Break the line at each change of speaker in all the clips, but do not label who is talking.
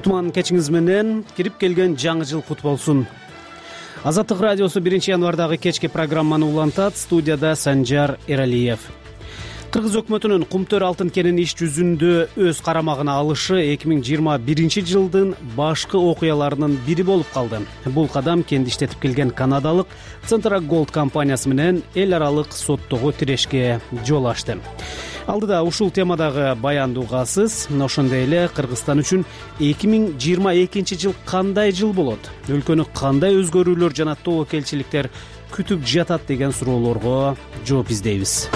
Кутман кечиңиз менен кирип келген жаңы жыл кут болсун. Азаттык радиосу 1-январдагы кечки программаны улантат. Студияда Санжар Эралиев. Кыргыз өкмөтүнүн Кумтөр алтын кенин иш жүзүндө өз карамагына алышы 2021 жылдын башкы окуяларынын бири болуп калды. Бул кадам кенди иштетип келген канадалык Centra Gold компаниясы менен эл аралык соттогу тирешке жол ачты. Алдыда ушул темадагы баянды угасыз. Ошондой эле Кыргызстан үчүн 2022 жыл кандай жыл болот? Өлкөнү кандай өзгөрүүлөр жана тобокелчиликтер күтүп жатат деген суроолорго жооп издейбиз.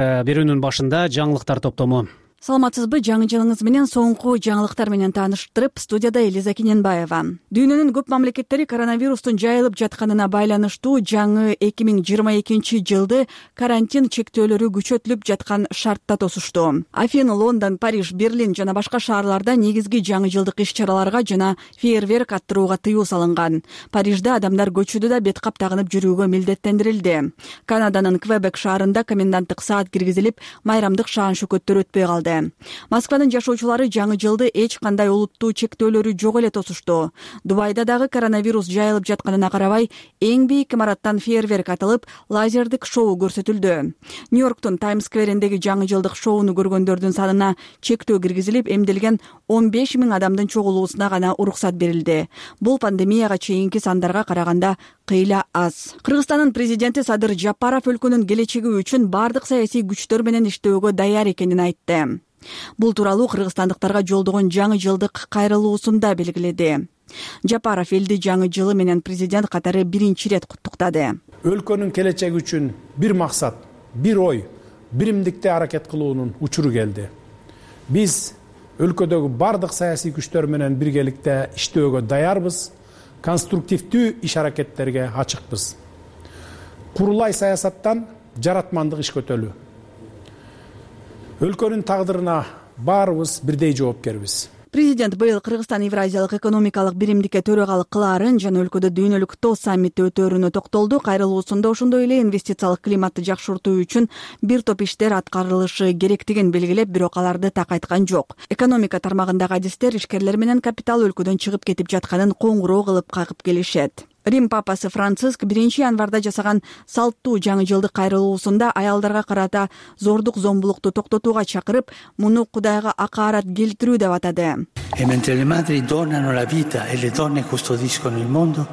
Берүүнүн башында жаңылыктар топтому.
Саламатсызбы? Жаңы жылыңыз менен соңку жаңылыктар менен тааныштырып, студияда Элиза Киненбаева. Дүйнөнүн көп мамлекеттери коронавирустун жайылып жатканына байланыштуу жаңы 2022 жылды карантин чектөөлөрү күчөтүлүп жаткан шартта тосушту. Афин, Лондон, Париж, Берлин жана башка шаарларда негизги жаңы жылдык иш-чараларга жана фейерверк аттырууга тыюу салынган. Парижде адамдар көчөдө да бет кап тагынып жүрүүгө милдеттендирилди. Канаданын Квебек шаарында коменданттык саат киргизилип, майрамдык шаан-шөкөттөр өтпөй калды. Москванын жашоочулары жаңы жылды эч кандай олуттуу чектөөлөрү жок эле тосушту. Дубайда дагы коронавирус жайылып жатканына карабай, эң бийик имараттан фейерверк атылып, лазердик шоу көрсөтүлдү. Нью-Йорктун Таймс-сквериндеги жаңы жылдык шоуну көргөндөрдүн санына чектөө киргизилип, эмделген 15 000 адамдын чогулуусуна гана уруксат берилди. Бул пандемияга чейинки сандарга караганда кыйла аз. Кыргызстандын президенти Садыр Жапаров өлкөнүн келечеги үчүн бардык саясий күчтөр менен иштөөгө даяр экенин айтты. Бул тууралуу кыргызстандыктарга жолдогон жаңы жылдык кайрылуусунда белгиледи. Жапаров элди жаңы жылы менен президент катары биринчи ирет куттуктады.
Өлкөнүн келечеги үчүн бир максат, бир ой, биримдикте аракет кылуунун учуру келди. Биз өлкөдөгү бардык саясий күчтөр менен биргеликте иштөөгө даярбыз, конструктивдүү иш-аракеттерге ачыкпыз. Курулай саясаттан жаратмандык иш көтөлүү. Өлкөнүн тагдырына баарыбыз бирдей жоопкербиз.
Президент быйыл Кыргызстан Евразиялык экономикалык биримдикке төрагалык кылаарын жана өлкөдө дүйнөлүк ТО саммити өтөөрүнө токтолду. Кайрылуусунда ошондой эле инвестициялык климатты жакшыртуу үчүн бир топ иштер аткарылышы керектигин белгилеп, бирок аларды так айткан жок. Экономика тармагындагы адистер ишкерлер менен капитал өлкөдөн чыгып кетип жатканын коңгуроо кылып кагып келишет. Рим папасы Франциск 1-январда жасаган салттуу жаңы жылдык кайрылуусунда аялдарга карата зордук зомбулукту токтотууга чакырып, муну Кудайга акаарат келтирүү деп атады.
E mentre le madri donano la vita e le donne custodiscono il mondo,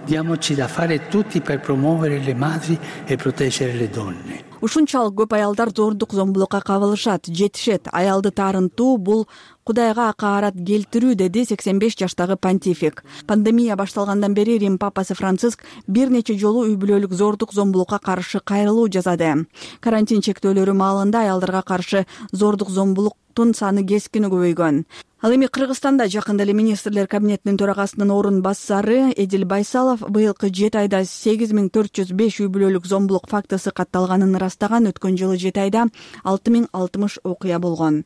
diamoci da fare tutti per promuovere le madri e proteggere le donne.
Ушунчалык көп аялдар зордук зомбулукка кабылышат, жетишет. Аялды таарынтуу бул Кудайга акаарат келтирүү, деди 85 жаштагы понтифик. Пандемия башталгандан бери Рим папасы Франциск бир нече жолу үй бүлөлүк зордук зомбулукка каршы кайрылуу жасады. Карантин чектөөлөрү маалында аялдарга каршы зордук зомбулуктун саны кескин көбөйгөн. Ал эми Кыргызстанда жакында эле министрлер кабинетинин төрагасынын орун басары Эдил Байсалов быйылкы 7 айда 8405 үй бүлөлүк зомбулук фактысы катталганын растаган. Өткөн жылы 7 айда 6060 окуя болгон.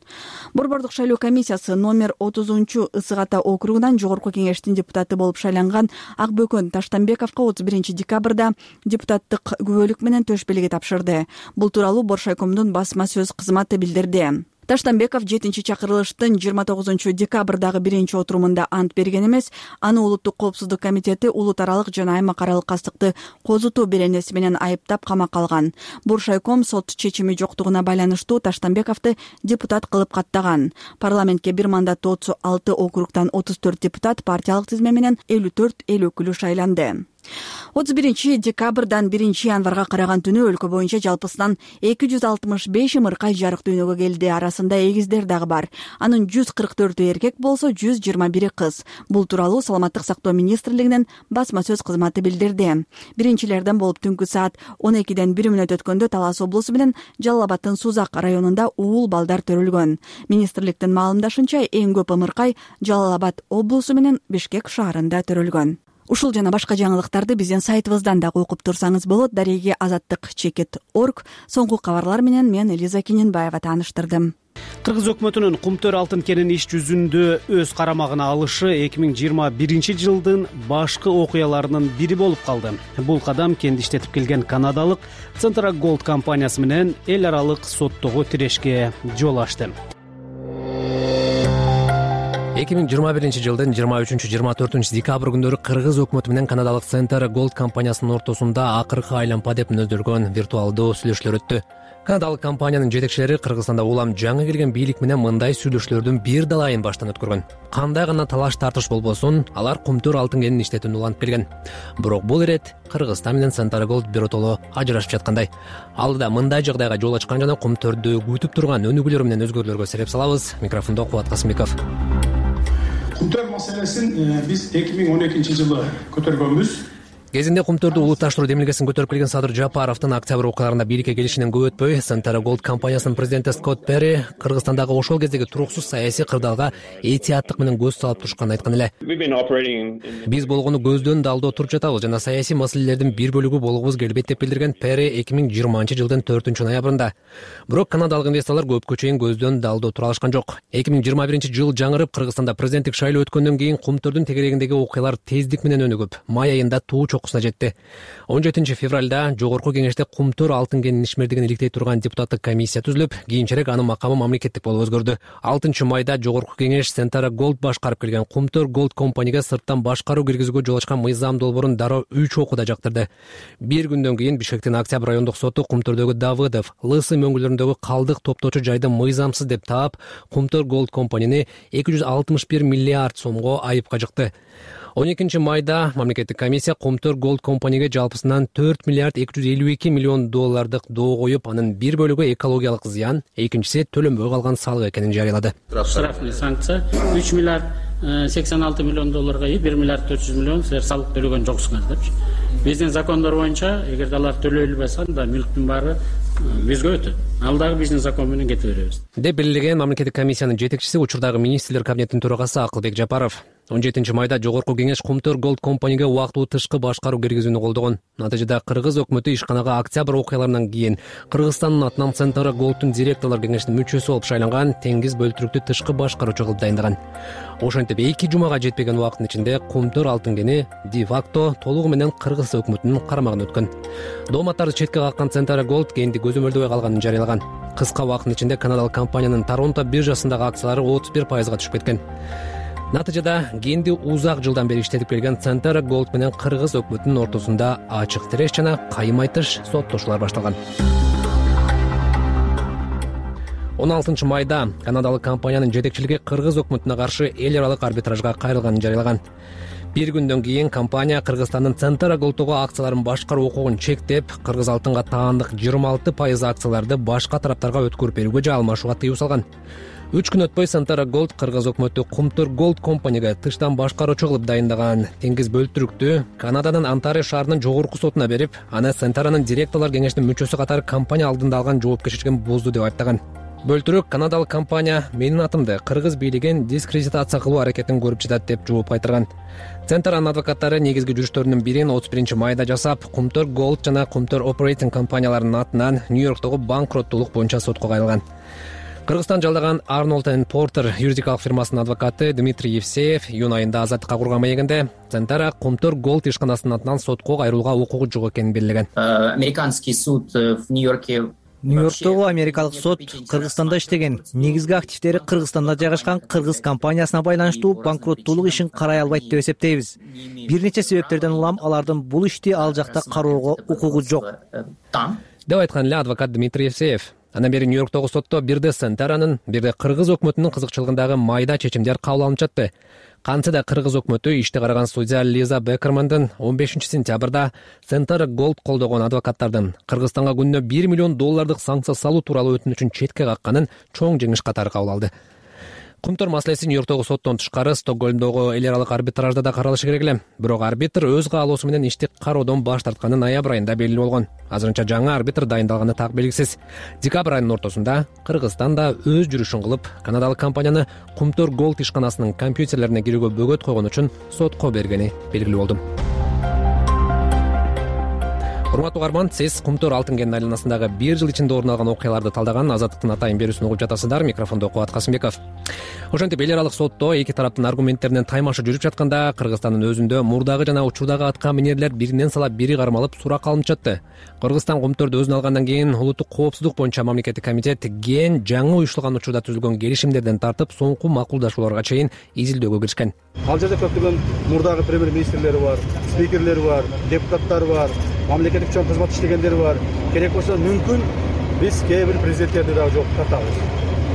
Борбордук шайлоо комиссиясы номер 30 Ысык Ата округунан жогорку кеңештин депутаты болуп шайланган Акбөкөн Таштанбековго 31 декабрда депутаттык күбөлүк менен төш белги тапшырды. Бул тууралуу Боршайкомдун басма сөз кызматы билдирди. Таштанбеков 7-чи чакырылыштын 29 декабрдагы 1-чи отурумунда ант берген эмес. Аны Улуттук коопсуздук комитети улут аралык жана аймак аралык кастыкты козутуу беренеси менен айыптап камакка алган. Боршайком сот чечими жоктугуна байланыштуу Таштанбековду депутат кылып каттаган. Парламентке бир мандаттуу 36 округдан 34 депутат, партиялык тизме менен 54 эл өкүлү шайланды. 31 декабрдан 1-январга караган түнү өлкө боюнча жалпысынан 265 ымыркай жарык дүйнөгө келди. Арасында эгиздер дагы бар. Анын 144 эркек болсо, 121 кыз. Бул тууралуу Саламаттык сактоо министрлигинин басма сөз кызматы билдирди. Биринчилерден болуп түнкү саат 12ден 1 мүнөт өткөндө Талас облусу менен Жалал Абадтын Сузак районунда уул балдар төрөлгөн. Министрликтин маалымдашынча, эң көп ымыркай Жалал Абад облусу менен Бишкек шаарында төрөлгөн. Ушул жана башка жаңылыктарды биздин сайтыбыздан дагы окуп турсаңыз болот. Дареги azattik.org. Соңку кабарлар менен мен Элиза Киненбаева тааныштырдым.
Кыргыз өкмөтүнүн Кумтөр алтын кенин иш жүзүндө өз карамагына алышы 2021 жылдын башкы окуяларынын бири болуп калды. Бул кадам кенди иштетип келген канадалык Centra Gold компаниясы менен эл аралык соттогу тирешке жол ачты.
2021-жылдын 23-24 декабрь күндөрү кыргыз өкмөтү менен канадалык Center Gold компаниясынын ортосунда акыркы айлампа деп мүнөздөлгөн виртуалдуу сүйлөшүүлөр өттү. Канадалык компаниянын жетекчилери Кыргызстанда улам жаңы келген бийлик менен мындай сүйлөшүүлөрдүн бир далайын баштан өткөргөн. Кандай гана талаш тартыш болбосун, алар кумтөр алтын кенин иштетүүнү улантып келген. Бирок бул ирет Кыргызстан менен Center Gold биротоло ажырашып жаткандай. Алдыда мындай жагдайга жол ачкан жана кумтөрдү күтүп турган өнүгүүлөр менен өзгөрүүлөргө сереп салабыз. Микрофондо Кубат Касымбеков.
Кумтөр маселесин биз 2012-жылы көтөргөнбүз.
Кезинде кумтөрдү улутташтыруу демилгесин көтөрүп келген Садыр Жапаровдун октябрь окуяларында бийликке келишинен көп өтпөй, Center Gold компаниясынын президенти Скотт Перри Кыргызстандагы ошол кездеги туруксуз саясий кырдаалга этияттык менен көз салып турушканын айткан эле. Биз болгону көздөн далдоо туруп жатабыз жана саясий маселелердин бир бөлүгү болгубуз келбейт деп билдирген Перри 2020-жылдын 4-ноябрында. Бирок канадалык инвесторлор көпкө чейин көздөн далдоо тура алышкан жок. 2021-жыл жаңырып, Кыргызстанда президенттик шайлоо өткөндөн кийин кумтөрдүн тегерегиндеги окуялар тездик менен өнүгүп, май айында туу чокусуна жетти. 17-февралда жогорку кеңеште кумтөр алтын кенинин ишмердигин иликтей турган депутаттык комиссия түзүлүп, кийинчерээк анын макамы мамлекеттик болуп өзгөрдү. 6-майда жогорку кеңеш Center Gold башкарып келген Кумтөр Gold компанияга сырттан башкаруу киргизүүгө жол ачкан мыйзам долбоорун дароо 3 окууда жактырды. Бир күндөн кийин Бишкектин Октябрь райондук соту Кумтөрдөгү Давыдов, Лысы мөңгүлөрүндөгү калдык топтоочу жайды мыйзамсыз деп таап, Кумтөр Gold компанияны 261 миллиард сомго айыпка жыкты. 12-майда мамлекеттик комиссия Кумтөр Gold компанияга жалпысынан 4 миллиард 252 миллион доллардык доо коюп, анын бир бөлүгү экологиялык зыян, экинчиси төлөнбөй калган салык экенин жарыялады.
Штрафный санкция 3 миллиард 86 миллион долларга 1 миллиард 400 миллион силер салык төлөгөн жоксуңар депчи. Биздин закондор боюнча, эгер алар төлөйлбөсө, анда мүлктүн баары бизге өтөт. Ал дагы биздин закон менен кете беребиз.
Деп белгилеген мамлекеттик комиссиянын жетекчиси, учурдагы министрлер кабинетинин төрагасы Акылбек Жапаров. 17-майда жогорку кеңеш Кумтөр Gold компанияга убактылуу тышкы башкаруу киргизүүнү колдогон. Натыйжада Кыргыз өкмөтү ишканага октябрь окуяларынан кийин Кыргызстандын атынан Center Gold'ун директорлор кеңешинин мүчөсү болуп шайланган Теңиз Бөлтүрүктү тышкы башкаруучу кылып дайындаган. Ошентип 2 жумага жетпеген убакыттын ичинде Кумтөр алтын кени де-факто толугу менен Кыргыз өкмөтүнүн карамагына өткөн. Дооматтарды четке каккан Center Gold кенди көзөмөлдөбөй калганын жарыялаган. Кыска убакыттын ичинде канадалык компаниянын Торонто биржасындагы акциялары 31%га түшүп кеткен. Натыйжада кенди узак жылдан бери иштетип келген Center Gold менен Кыргыз өкмөтүнүн ортосунда ачык тиреш жана кайым айтыш соттошуулар башталган. 16-майда канадалык компаниянын жетекчилиги Кыргыз өкмөтүнө каршы эл аралык арбитражга кайрылганын жарыялаган. Бир күндөн кийин компания Кыргызстандын Center Gold'тогу акцияларын башкаруу укугун чектеп, Кыргыз алтынга таандык 26% акцияларды башка тараптарга өткөрүп берүүгө же алмашууга тыюу салган. 3 күн өтпөй Center Gold Кыргыз өкмөтү Кумтөр Gold компанияга тыштан башкаруучу кылып дайындаган Теңиз Бөлтүрүктү Канаданын Онтарио шаарынын жогорку сотуна берип, аны Center'нын директорлор кеңешинин мүчөсү катары компания алдында алган жоопкерчилигин бузду деп айыптаган. Бөлтүрүк канадалык компания менин атымды Кыргыз бийлигин дискредитация кылуу аракетин көрүп жатат деп жооп кайтарган. Center'нын адвокаттары негизги жүрүштөрүнүн бирин 31-майда жасап, Кумтөр Gold жана Кумтөр Operating компанияларынын атынан Нью-Йорктогу банкроттуулук боюнча сотко кайрылган. Кыргызстан жалдаган Arnold & Porter юридикалык фирмасынын адвокаты Дмитрий Евсеев июнь айында азаттыкка курган маегинде Center Кумтөр Gold ишканасынын атынан сотко кайрылууга укугу жок экенин белгилеген.
Американский суд в Нью-Йорке
Нью-Йорктогу америкалык сот Кыргызстанда иштеген, негизги активдери Кыргызстанда жайгашкан кыргыз компаниясына байланыштуу банкроттуулук ишин карай албайт деп эсептейбиз. Бир нече себептерден улам алардын бул ишти ал жакта кароого укугу жок
деп айткан эле адвокат Дмитрий Евсеев. Андан бери Нью-Йорктогу сотто бирде Center'нын, бирде Кыргыз өкмөтүнүн кызыкчылыгындагы майда чечимдер кабыл алынып жатты. Кантсе да Кыргыз өкмөтү ишти караган судья Лиза Бекермандын 15-сентябрда Center Gold колдогон адвокаттардын Кыргызстанга күнүнө 1 миллион доллардык санкция салуу тууралуу өтүнүчүн четке какканын чоң жеңиш катары кабыл алды. Кумтөр маселеси Нью-Йорктогу соттон тышкары Стокгольмдогу эл аралык арбитражда да каралышы керек эле. Бирок арбитр өз каалоосу менен ишти кароодон баш тартканы ноябрь айында белгилүү болгон. Азырынча жаңы арбитр дайындалганы так белгисиз. Декабрь айынын ортосунда Кыргызстан да өз жүрүшүн кылып, канадалык компанияны Кумтөр Gold ишканасынын компьютерлерине кирүүгө бөгөт койгон үчүн сотко бергени белгилүү болду. Урматтуу угарман, сиз Кумтөр алтын кенинин айланасындагы 1 жыл ичинде орун алган окуяларды талдаган Азаттыктын атайын берүүсүн угуп жатасыздар. Микрофондо Кубат Касымбеков. ошентип эл аралык сотто эки тараптын аргументтеринен таймашы жүрүп жатканда Кыргызстандын өзүндө мурдагы жана учурдагы аткан минерлер биринен салап бири кармалып суракка алынып жатты. Кыргызстан Кумтөрдү өзүнө алгандан кийин улуттук коопсуздук боюнча мамлекеттик комитет ген жаңы уюштурулган учурда түзүлгөн келишимдерден тартып соңку макулдашууларга чейин изилдөөгө киришкен.
Ал жерде көптөгөн мурдагы премьер-министрлери бар, спикерлери бар, депутаттар бар, мамлекеттик чоң кызмат иштегендери бар. Керек болсо мүмкүн биз кээ бир президенттерди дагы жоопко тартабыз.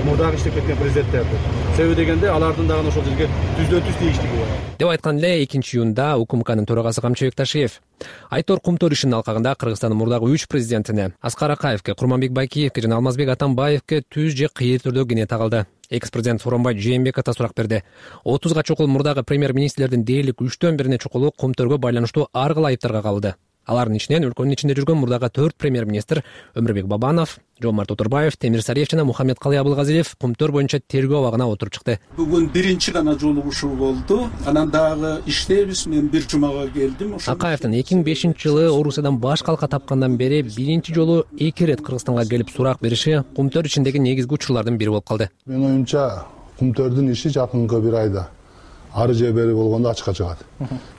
Мурдагы иштеп кеткен президенттерди. Себеби дегенде алардын дагы ошол жерге түздөн түз тийиштиги бар.
Деп айткан эле 2-июнда УКМКнын төрагасы Камчыбек Ташиев. Айтор Кумтөр ишинин алкагында Кыргызстандын мурдагы 3 президентине Аскар Акаевке, Курманбек Байкиевке жана Алмазбек Атамбаевке түз же кыйыр түрдө кене тагылды. Экс-президент Сооронбай Жээнбеков да сурак берди. 30га чукул мурдагы премьер-министрлердин дээрлик 3төн бирине чукулу Кумтөргө байланыштуу ар кыл айыптарга кабылды. Алардын ичинен өлкөнүн ичинде жүргөн мурдагы 4 премьер-министр Өмүрбек Бабанов, Жомарт Отурбаев, Темир Сариев жана Мухаммед Калый Абылгазиев Кумтөр боюнча тергөө абагына отуруп чыкты.
Бүгүн биринчи гана жолугушуу болду. Анан дагы иштейбиз. Мен бир жумага келдим.
Акаевдин 2005-жылы Орусиядан баш калка тапкандан бери биринчи жолу 2 ирет Кыргызстанга келип сурак бериши Кумтөр ичиндеги негизги учурлардын бири болуп калды.
Мен оюмча Кумтөрдүн иши жакынкы бир айда ары же бери болгондо ачыкка чыгат.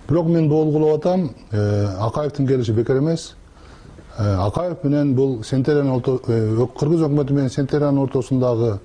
Бирок мен долгулап атам, Акаевдин келиши бекер эмес. Акаев менен бул Кыргыз өкмөтү менен Сентериянын ортосундагы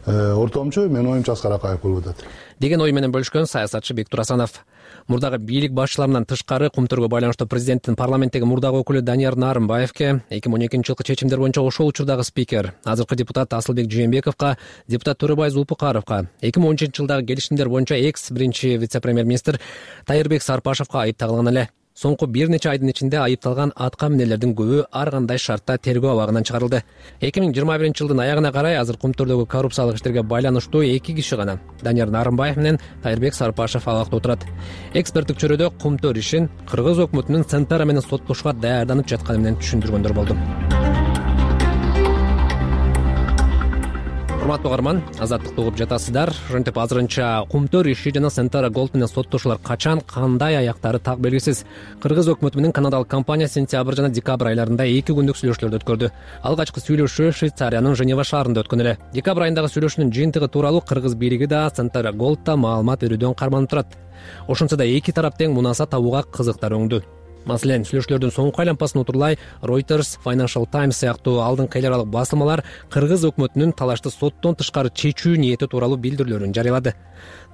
ортомчу мен оюмча Аскар Акаев болуп атат
деген ой менен бөлүшкөн саясатчы Бектур Асанов. Мурдагы бийлик башчыларынан тышкары Кумтөргө байланыштуу президенттин парламенттеги мурдагы өкүлү Данияр Нарымбаевке, 2012-жылкы чечимдер боюнча ошол учурдагы спикер, азыркы депутат Асылбек Жээнбековго, депутат Төрөбай Зулпукаровго, 2013-жылдагы келишимдер боюнча экс биринчи вице-премьер-министр Тайырбек Сарпашевго айып тагылган эле. Соңку бир нече айдын ичинде айыпталган аткан минерлердин көбү ар кандай шартта тергөө абагынан чыгарылды. 2021-жылдын аягына карай азыр Кумтөрдөгү коррупциялык иштерге байланыштуу 2 киши гана, Данияр Нарымбаев менен Тайырбек Сарпашев абакта отурат. Эксперттик чөйрөдө Кумтөр ишин Кыргыз өкмөтүнүн Центара менен соттошууга даярданып жатканы менен түшүндүргөндөр болду. Урматтуу угарман, азаттыкты угуп жатасыздар. Ошентип азырынча Кумтөр иши жана Центара Голд менен соттошуулар качан, кандай аяктары так белгисиз. Кыргыз өкмөтү менен канадалык компания сентябрь жана декабрь айларында 2 күндүк сүйлөшүүлөрдү өткөрдү. Алгачкы сүйлөшүү Швейцариянын Женева шаарында өткөн эле. Декабрь айындагы сүйлөшүүнүн жыйынтыгы тууралуу Кыргыз бийлиги да Центара Голд да маалымат берүүдөн карманып турат. Ошентсе да эки тарап тең мунаса табууга кызыктар өңдү. Маселен, сүйлөшүүлөрдүн соңку айланпасын утурлай Reuters, Financial Times сыяктуу алдыңкы эл аралык басылмалар Кыргыз өкмөтүнүн талашты соттон тышкары чечүү ниети тууралуу билдирүүлөрүн жарыялады.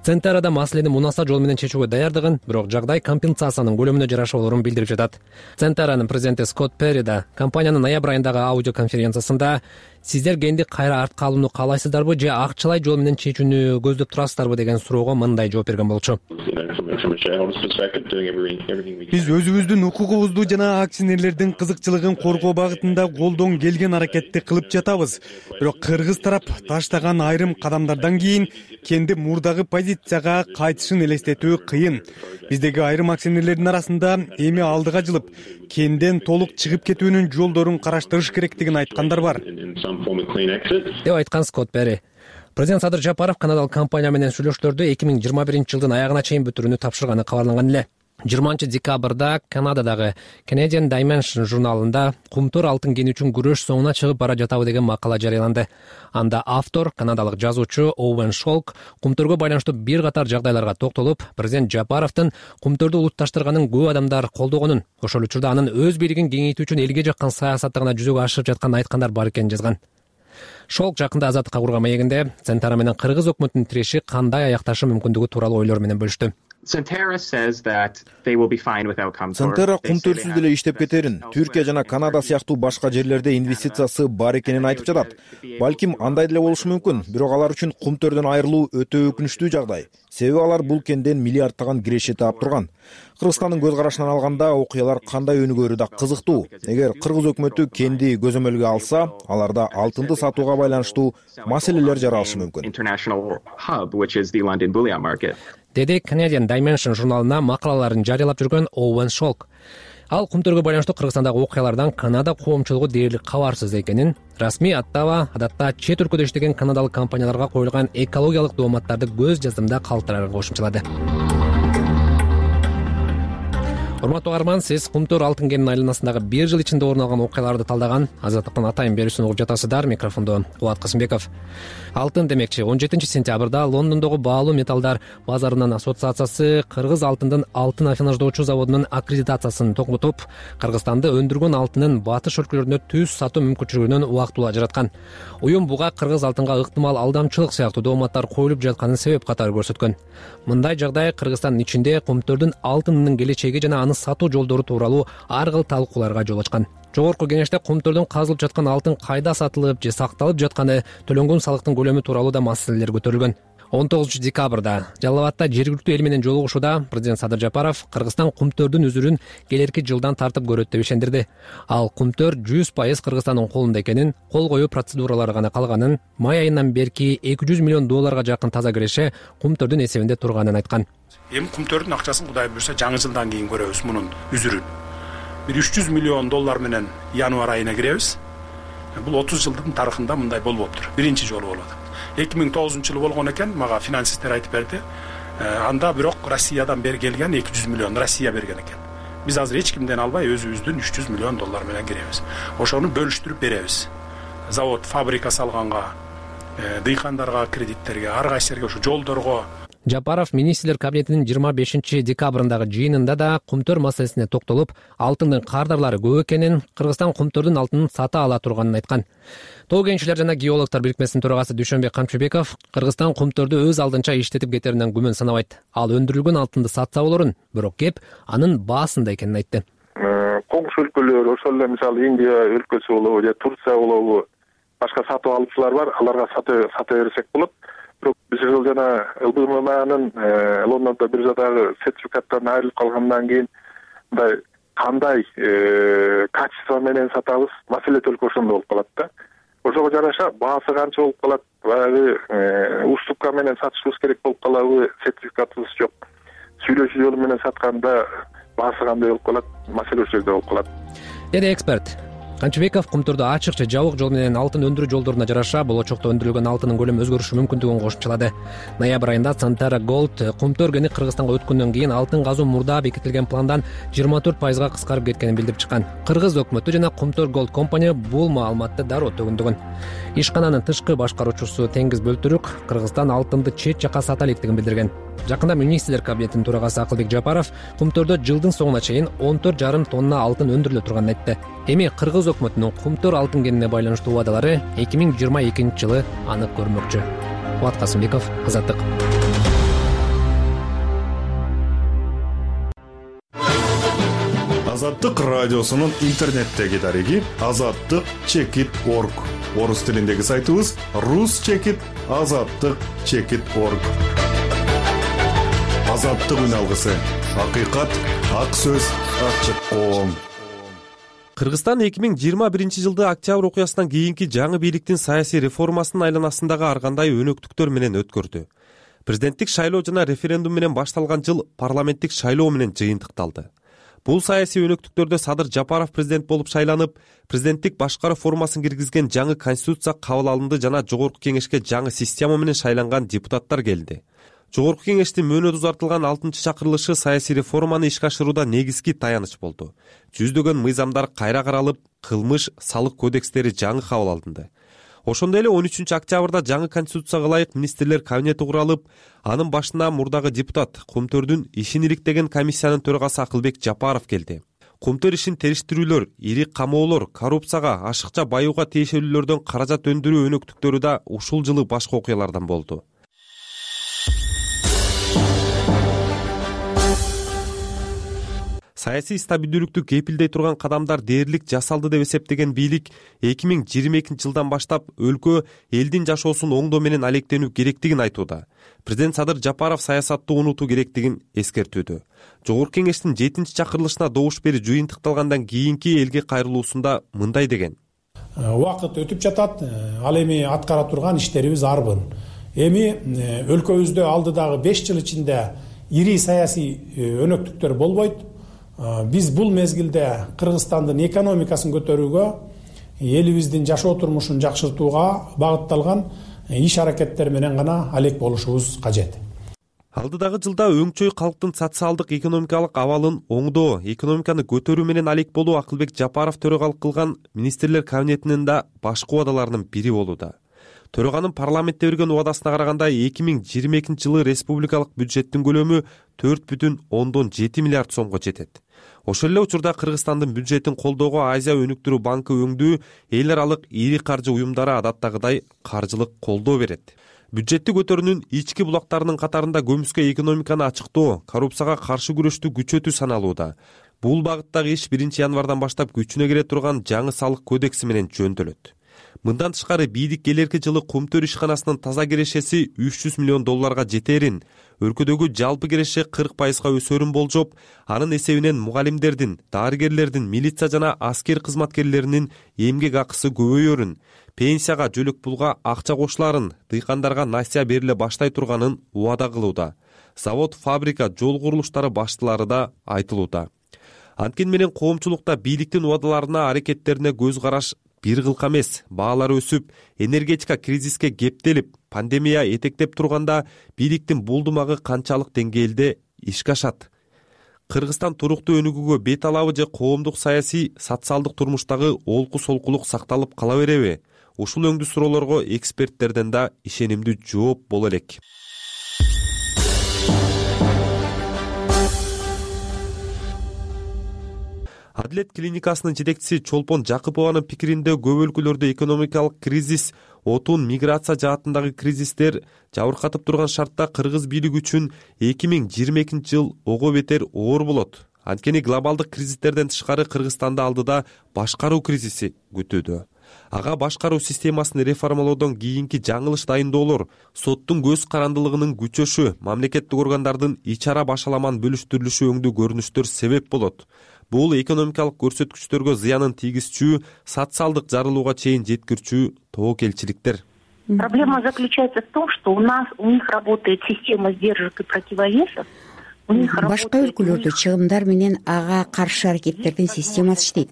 Центарада маселени мунаса жол менен чечүүгө даярдыгын, бирок жагдай компенсациянын көлөмүнө жараша болорун билдирип жатат. Центаранын президенти Скотт Перри да компаниянын ноябрь айындагы аудиоконференциясында сиздер генди кайра артка алууну каалайсыздарбы же акчалай жол менен чечүүнү көздөп турасыздарбы деген суроого мындай жооп берген болчу.
Биз өзүбүздүн укугубузду жана акционерлердин кызыкчылыгын коргоо багытында колдон келген аракетти кылып жатабыз. Бирок кыргыз тарап таштаган айрым кадамдардан кийин кенди мурдагы позицияга кайтышын элестетүү кыйын. Биздеги айрым акционерлердин арасында эми алдыга жылып, кенден толук чыгып кетүүнүн жолдорун караштырыш керектигин айткандар бар.
Деп айткан Скотт Перри. Президент Садыр Жапаров канадалык компания менен сүйлөшүүлөрдү 2021-жылдын аягына чейин бүтүрүүнү тапшырганы кабарланган эле. 20-декабрда Канададагы Canadian Dimension журналында Кумтөр алтын кени үчүн күрөш соңуна чыгып бара жатабы деген макала жарыяланды. Анда автор, канадалык жазуучу Оуэн Шолк Кумтөргө байланыштуу бир катар жагдайларга токтолуп, президент Жапаровдун Кумтөрдү улутташтырганын көп адамдар колдогонун, ошол учурда анын өз бийлигин кеңейтүү үчүн элге жаккан саясатты гана жүзөгө ашырып жатканын айткандар бар экенин жазган. Шолк жакында азаттыкка курган маегинде Центара менен Кыргыз өкмөтүнүн тиреши кандай аякташы мүмкүндүгү тууралуу ойлор менен бөлүштү.
Центара Кумтөрсүз деле иштеп кетерин, Түркия жана Канада сыяктуу башка жерлерде инвестициясы бар экенин айтып жатат. Балким андай деле болушу мүмкүн, бирок алар үчүн Кумтөрдөн айрылуу өтө өкүнүчтүү жагдай. Себеби алар бул кенден миллиардтаган киреши таап турган. Кыргызстандын көз карашынан алганда окуялар кандай өнүгөрү да кызыктуу. Эгер Кыргыз өкмөтү кенди көзөмөлгө алса, аларда алтынды сатууга байланыштуу маселелер жаралышы мүмкүн.
Деди Canadian Dimension журналына макалаларын жарыялап жүргөн Оуэн Шолк. Ал Кумтөргө байланыштуу Кыргызстандагы окуялардан Канада коомчулугу дээрлик кабарсыз экенин, расмий аттаба адатта чет өлкөдө иштеген канадалык компанияларга коюлган экологиялык дооматтарды көз жаздымда калтырарга кошумчалады. урматтуу угарман, сиз Кумтөр алтын кенинин айланасындагы бир жыл ичинде орун алган окуяларды талдаган Азаттыктын атайын берүүсүн угуп жатасыздар. Микрофондо Кубат Касымбеков. Алтын демекчи 17 сентябрда Лондондогу баалуу металлдар базарынын ассоциациясы кыргыз алтындын алтын афинаждоочу заводунун аккредитациясын токтотуп, Кыргызстанды өндүргөн алтынын батыш өлкөлөрүнө түз сатуу мүмкүнчүлүгүнөн убактылуу ажыраткан. Уюм буга кыргыз алтынга ыктымал алдамчылык сыяктуу дооматтар коюлуп жатканын себеп катары көрсөткөн. Мындай жагдай Кыргызстандын ичинде Кумтөрдүн алтынынын келечеги жана аны сатуу жолдору тууралуу ар кыл талкууларга жол ачкан. Жогорку кеңеште Кумтөрдөн казылып жаткан алтын кайда сатылып же сакталып жатканы, төлөнгөн салыктын көлөмү тууралуу да маселелер көтөрүлгөн. 19 декабрда Жалал абадта жергиликтүү эл менен жолугушууда президент Садыр Жапаров Кыргызстан Кумтөрдүн үзүрүн келерки жылдан тартып көрөт деп ишендирди. Ал Кумтөр 100% Кыргызстандын колунда экенин, кол коюу процедуралары гана калганын, май айынан берки $200 миллион жакын таза киреше Кумтөрдүн эсебинде турганын айткан.
Эми Кумтөрдүн акчасын Кудай буйрса жаңы жылдан кийин көрөбүз мунун үзүрүн. Bir $300 миллион менен январь айына киребиз. Бул 30 жылдын тарыхында мындай болбоптур. Биринчи жолу болот. 2009-жылы болгон экен, мага финансисттер айтып берди. Анда бирок Россиядан бери келген 200 миллион Россия берген экен. Биз азыр эч кимден албай өзүбүздүн $300 миллион менен киребиз. Ошону бөлүштүрүп беребиз. Завод, фабрика салганга, дыйкандарга, кредиттерге, ар кайсыларга, ошо жолдорго.
Жапаров министрлер кабинетинин 25 декабрындагы жыйынында да Кумтөр маселесине токтолуп, алтындын кардарлары көп экенин, Кыргызстан Кумтөрдүн алтынын сата ала турганын айткан. Тоо кенчилер жана геологдор бирикмесинин төрагасы Дүйшөнбек Камчыбеков Кыргызстан Кумтөрдү өз алдынча иштетип кетеринен күмөн санабайт. Ал өндүрүлгөн алтынды сатса болорун, бирок кеп анын баасында экенин айтты.
Коңшу өлкөлөр, ошол эле мисалы Индия өлкөсү болобу же Турция болобу, башка сатып алуучулар бар, аларга сата берсек болот. Биз жана ЛБМАнын Лондондо биржадагы сертификаттан айрылып калгандан кийин мындай кандай качество менен сатабыз, маселе только ошондо болуп калат да. Ошого жараша баасы канча болуп калат, баягы уступка менен сатышыбыз керек болуп калабы, сертификатыбыз жок. Сүйлөшүү жолу менен сатканда баасы кандай болуп калат, маселе ошол жерде болуп калат.
Деди эксперт. Камчыбеков Кумтөрдө ачык же жабык жол менен алтын өндүрүү жолдоруна жараша болочокто өндүрүлгөн алтынын көлөмү өзгөрүшү мүмкүндүгүн кошумчалады. Ноябрь айында Santara Gold Кумтөр кени Кыргызстанга өткөндөн кийин алтын казуу мурда бекитилген пландан 24%га кыскарып кеткенин билдирип чыккан. Кыргыз өкмөтү жана Кумтөр Gold компания бул маалыматты дароо төгүндөгөн. Ишкананын тышкы башкаруучусу Теңиз Бөлтүрүк Кыргызстан алтынды чет жака сата электигин билдирген. Жакында министрлер кабинетинин төрагасы Акылбек Жапаров Кумтөрдө жылдын соңуна чейин 14,5 тонна алтын өндүрүлө турганын айтты. Эми Кыргыз өкмөтүнүн Кумтөр алтын кенине байланыштуу убадалары 2022 жылы анык көрүнмөкчү. Кубат Касымбеков, Азаттык.
Азаттык радиосунун интернеттеги дареги azattik.org. Орус тилиндеги сайтыбыз rus.azattik.org. Азаттык үн алгысы. Акыйкат, ак сөз, ачык коом.
Кыргызстан 2021 жылды октябрь окуясынан кийинки жаңы бийликтин саясий реформасынын айланасындагы ар кандай өнөктүктөр менен өткөрдү. Президенттик шайлоо жана референдум менен башталган жыл парламенттик шайлоо менен жыйынтыкталды. Бул саясий өнөктүктөрдө Садыр Жапаров президент болуп шайланып, президенттик башкаруу формасын киргизген жаңы конституция кабыл алынды жана жогорку кеңешке жаңы система менен шайланган депутаттар келди. Жогорку кеңештин мөөнөтү узартылган 6-чы чакырылышы саясий реформаны ишке ашырууда негизги таяныч болду. Жүздөгөн мыйзамдар кайра каралып, кылмыш, салык кодекстери жаңы кабыл алынды. Ошондой эле 13 октябрда жаңы конституцияга ылайык министрлер кабинети куралып, анын башына мурдагы депутат Кумтөрдүн ишин иликтеген комиссиянын төрагасы Акылбек Жапаров келди. Кумтөр ишин териштирүүлөр, ири камоолор, коррупцияга, ашыкча баюуга тиешелүүлөрдөн каражат өндүрүү өнөктүктөрү да ушул жылы башка окуялардан болду. Саясий стабилдүүлүктү кепилдей турган кадамдар дээрлик жасалды деп эсептеген бийлик 2022 жылдан баштап өлкө элдин жашоосун оңдоо менен алектенүү керектигин айтууда. Президент Садыр Жапаров саясатты унутуу керектигин эскертүүдө. Жогорку кеңештин 7-чи чакырылышына добуш берүү жыйынтыкталгандан кийинки элге кайрылуусунда мындай деген.
Убакыт өтүп жатат, ал эми аткара турган иштерибиз арбын. Эми өлкөбүздө алдыдагы 5 жыл ичинде ири саясий өнөктүктөр болбойт. Биз бул мезгилде Кыргызстандын экономикасын көтөрүүгө, элибиздин жашоо турмушун жакшыртууга багытталган иш аракеттер менен гана алек болушубуз кажет.
Алдыдагы жылда өңчөй калктын социалдык экономикалык абалын оңдоо, экономиканы көтөрүү менен алек болуу Акылбек Жапаров төрагалык кылган министрлер кабинетинин да башкы убадаларынын бири болууда. Төраганын парламентте берген убадасына караганда 2022 жылы республикалык бюджеттин көлөмү 4,7 миллиард сомго жетет. Ошол эле учурда Кыргызстандын бюджетин колдоого Азия өнүктүрүү банкы өңдүү эл аралык ири каржы уюмдары адаттагыдай каржылык колдоо берет. Бюджетти көтөрүүнүн ички булактарынын катарында көмүскө экономиканы ачыктоо, коррупцияга каршы күрөштү күчөтүү саналууда. Бул багыттагы иш 1 январдан баштап күчүнө кире турган жаңы салык кодекси менен жөндөлөт. Мындан тышкары бийдик келерки жылы Кумтөр ишканасынын таза кирешеси $300 миллион жетерин, өлкөдөгү жалпы киреше 40%га өсөрүн болжоп, анын эсебинен мугалимдердин, дарыгерлердин, милиция жана аскер кызматкерлеринин эмгек акысы көбөйөрүн, пенсияга, жөлөк пулга акча кошуларын, дыйкандарга насыя бериле баштай турганын убада кылууда. Завод, фабрика, жол курулуштары баштылары да айтылууда. Анткени менен коомчулукта бийликтин убадаларына, аракеттерине көз караш бир кылка эмес. Баалар өсүп, энергетика кризиске кептелип, пандемия этектеп турганда бийликтин булдумагы канчалык деңгээлде ишке ашат? Кыргызстан туруктуу өнүгүүгө бет алабы же коомдук саясий, социалдык турмуштагы олку солкулук сакталып кала береби? Ушул өңдүү суроолорго эксперттерден да ишенимдүү жооп боло элек. Адилет клиникасынын жетекчиси Чолпон Жакыпованын пикиринде көп өлкөлөрдө экономикалык кризис, отун, миграция жаатындагы кризистер жабыркатып турган шартта кыргыз бийлиги үчүн 2022 жыл ого бетер оор болот. Анткени глобалдык кризистерден тышкары Кыргызстанды алдыда башкаруу кризиси күтүүдө. Ага башкаруу системасын реформалоодон кийинки жаңылыш дайындоолор, соттун көз карандылыгынын күчөшү, мамлекеттик органдардын ич-ара башаламан бөлүштүрүлүшү өңдүү көрүнүштөр себеп болот. Бул экономикалык көрсөткүчтөргө зыянын тийгизчү, социалдык жарылууга чейин жеткирчү тобокелчиликтер.
Проблема заключается в том, что у них работает система сдержек и противовесов.
Башка өлкөлөрдө чыгымдар менен ага каршы аракеттердин системасы иштейт.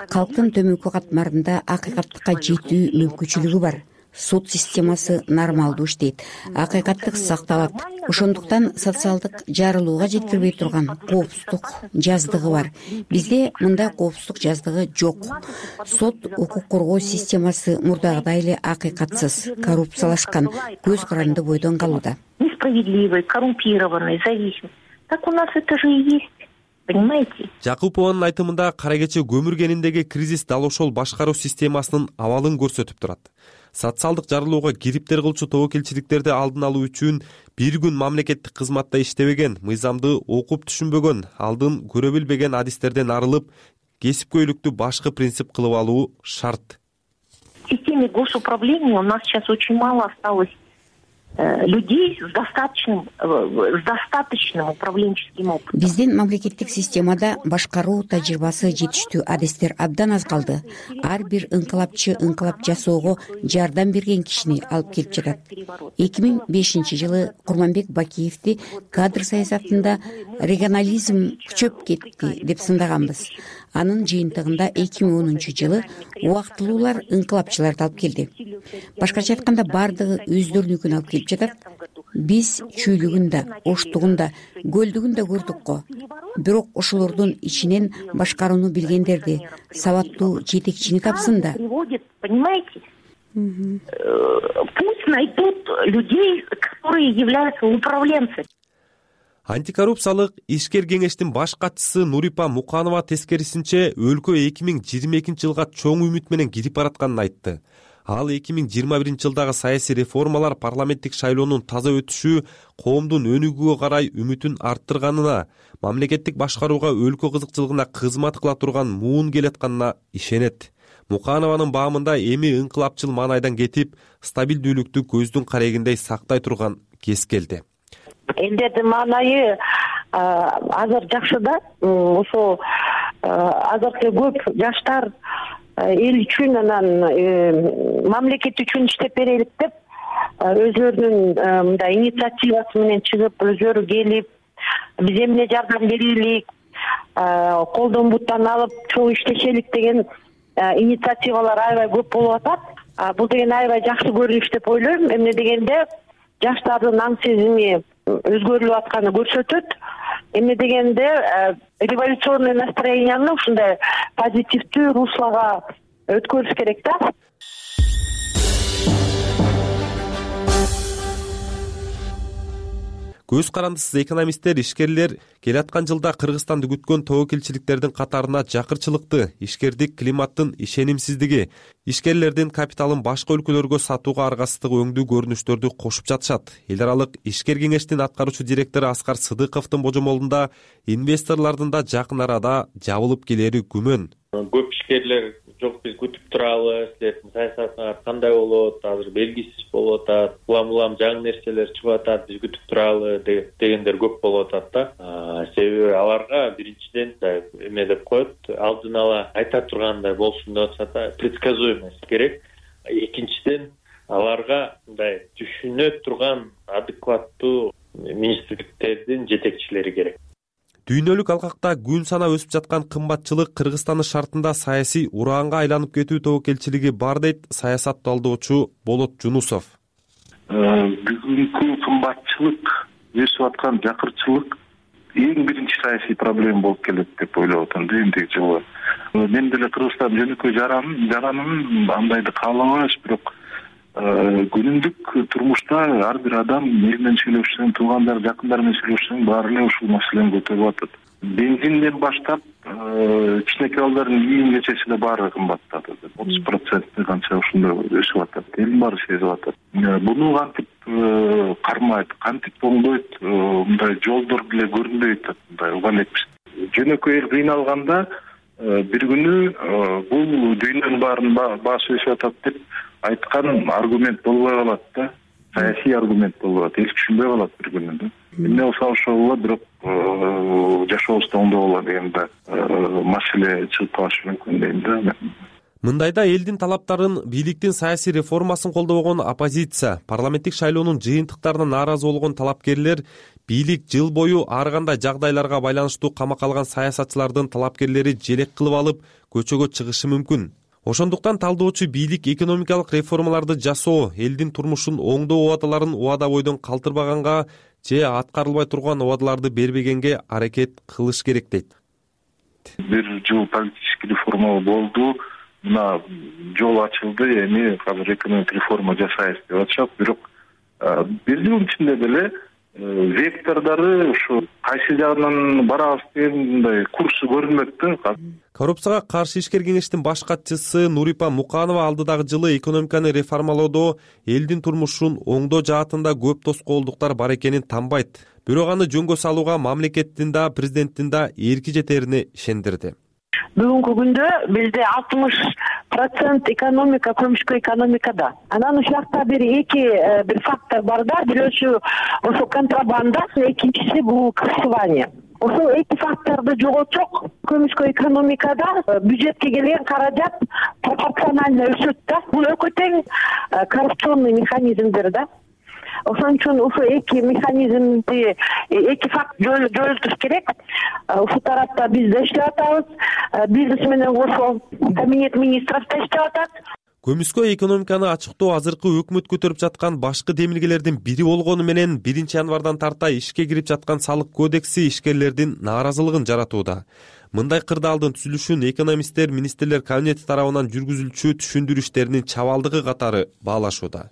Калктын төмөнкү катмарында акыйкаттыкка жетүү мүмкүнчүлүгү бар. Суд системасы нормалдуу иштейт, акыйкаттык сакталат. Ошондуктан социалдык жарылууга жеткирбей турган коопсуздук жаздыгы бар. Бизде мындай коопсуздук жаздыгы жок. Сот, укук коргоо системасы мурдагыдай эле акыйкатсыз, коррупциялашкан, көз каранды бойдон калууда.
Несправедливый, коррумпированный, зависимый. Так у нас это же и есть. Понимаете?
Жакупованын айтымында кара кече көмүр кениндеги кризис дал ошол башкаруу системасынын абалын көрсөтүп турат. Социалдык жарылууга кириптер кылчу тобокелчиликтерди алдын алуу үчүн бир күн мамлекеттик кызматта иштебеген, мыйзамды окуп түшүнбөгөн, алдын көрө билбеген адистерден арылып, кесипкөйлүктү башкы принцип кылып алуу шарт.
В системе госуправления у нас сейчас очень мало осталось людей с достаточным управленческим опытом.
Биздин мамлекеттик системада башкаруу тажрыйбасы жетиштүү адистер абдан аз калды. Ар бир ыңкылапчы ыңкылап жасоого жардам берген кишини алып келип жатат. 2005 жылы Курманбек Бакиевди кадр саясатында регионализм күчөп кетти деп сындаганбыз. Анын жыйынтыгында 2010 жылы убактылуулар ыңкылапчыларды алып келди. Башкача айтканда бардыгы өздөрүнүкүн алып келип жатат. Биз чүйлүгүн да, оштугун да, көлдүгүн да көрдүк го. Бирок ошолордун ичинен башкарууну билгендерди, сабаттуу жетекчини тапсын да.
Понимаете? Пусть найдут людей, которые являются управленцами.
Антикоррупциялык ишкер кеңештин баш катчысы Нурипа Муканова тескерисинче өлкө 2022 жылга чоң үмүт менен кирип баратканын айтты. Ал 2021 жылдагы саясий реформалар, парламенттик шайлоонун таза өтүшү коомдун өнүгүүгө карай үмүтүн арттырганына, мамлекеттик башкарууга өлкө кызыкчылыгына кызмат кыла турган муун келатканына ишенет. Муканованын баамында эми ыңкылапчыл маанайдан кетип, стабилдүүлүктү көздүн карегиндей сактай турган кез келди.
Элдердин маанайы азыр жакшы да. Ошо азыркы көп жаштар эл үчүн анан мамлекет үчүн иштеп берелик деп өзлөрүнүн мындай инициативасы менен чыгып, өзлөрү келип, биз эмне жардам берелик, колдон буттан алып чоң иштешелик деген инициативалар аябай көп болуп атат. Бул деген аябай жакшы көрүнүш деп ойлойм. Эмне дегенде жаштардын аң сезими өзгөрүлүп атканы көрсөтөт. Эмне дегенде революционный настроенияны ушундай позитивдүү руслого өткөрүш керек да.
Көз карандысыз экономисттер, ишкерлер келаткан жылда Кыргызстанды күткөн тобокелчиликтердин катарына жакырчылыкты, ишкердик климаттын ишенимсиздиги, ишкерлердин капиталын башка өлкөлөргө сатууга аргасыздыгы өңдүү көрүнүштөрдү кошуп жатышат. Эл аралык ишкер кеңештин аткаруучу директору Аскар Сыдыковдун божомолунда инвесторлордун да жакын арада жабылып келери күмөн.
Көп ишкерлер жок, биз күтүп туралы, силердин саясатыңар кандай болот, азыр белгисиз болуп атат, улам жаңы нерселер чыгып атат, биз күтүп туралы дегендер көп болуп атат да. Себеби аларга биринчиден эме деп коет, алдын ала айта тургандай болсун деп атса да, предсказуемость керек. Экинчиден аларга мындай түшүнө турган адекваттуу министрликтердин жетекчилери керек.
Дүйнөлүк алкакта күн сана өсүп жаткан кымбатчылык Кыргызстандын шартында саясий ураанга айланып кетүү тобокелчилиги бар дейт саясат талдоочу Болот Жунусов.
Бүгүнкү кымбатчылык, өсүп аткан жакырчылык эң биринчи саясий проблема болуп келет деп ойлоп атам да эмдиги жылы. Мен деле Кыргызстан жөнөкөй жаранын андайды каалабайбыз, бирок күнүмдүк турмушта ар бир адам эл менен сүйлөшсөң, туугандар, жакындар менен сүйлөшсөң, баары эле ушул маселени көтөрүп атат. Бензинден баштап кичинекей балдардын кийим-кечеси деле баары кымбаттады. 30% канча ушундай өсүп атат. Элдин баары сезип атат. Буну кантип кармайт, кантип оңдойт, мындай жолдор деле көрүнбөй атат, мындай уга элекпиз. Жөнөкөй эл кыйналганда бир күнү бул дүйнөнүн баарынын баасы өсүп атат деп айткан аргумент болбой калат да, саясий аргумент болбой калат, эл түшүнбөй калат бир күнү да. Эмне болсо ошол болот, бирок жашообузду оңдоп алалы деген да маселе чыгып калышы мүмкүн дейм да.
Мындайда элдин талаптарын, бийликтин саясий реформасын колдобогон оппозиция, парламенттик шайлоонун жыйынтыктарына нааразы болгон талапкерлер, бийлик жыл бою ар кандай жагдайларга байланыштуу камакка алган саясатчылардын талапкерлери желек кылып алып көчөгө чыгышы мүмкүн. Ошондуктан талдоочу бийлик экономикалык реформаларды жасоо, элдин турмушун оңдоо убадаларын убада бойдон калтырбаганга же аткарылбай турган убадаларды бербегенге аракет кылыш керек дейт.
Бир жыл политический реформа болду, мына жол ачылды, эми азыр экономик реформа жасайбыз деп атышат, бирок бир жылдын ичинде деле вектордору ушу кайсы жагынан барабыз деген мындай курсу көрүнмөк да.
Коррупцияга каршы ишкер кеңештин баш катчысы Нурипа Муканова алдыдагы жылы экономиканы реформалоодо элдин турмушун оңдоо жаатында көп тоскоолдуктар бар экенин танбайт. Бирок аны жөнгө салууга мамлекеттин да, президенттин да эрки жетерине ишендирди.
Бүгүнкү күндө бизде 60% экономика көмүшкө экономикада. Анан ушул жакта бир фактор бар да, бирөөсү ошо контрабанда, экинчиси бул крышевание. Ошол эки факторду жоготсок, көмүшкө экономикада бюджетке келген каражат пропорционально өсөт да. Бул экөө тең коррупционный механизмдер да. Ошон үчүн ушул эки механизмди, эки факт жойултуш керек. Ушул тарапта биз да иштеп атабыз. Бизнес менен кошо кабинет министров да иштеп атат.
Көмүскө экономиканы ачыктоо азыркы өкмөт көтөрүп жаткан башкы демилгелердин бири болгону менен 1 январдан тарта ишке кирип жаткан салык кодекси ишкерлердин нааразылыгын жаратууда. Мындай кырдаалдын түзүлүшүн экономисттер министрлер кабинети тарабынан жүргүзүлчү түшүндүрүү иштеринин чабалдыгы катары баалашууда.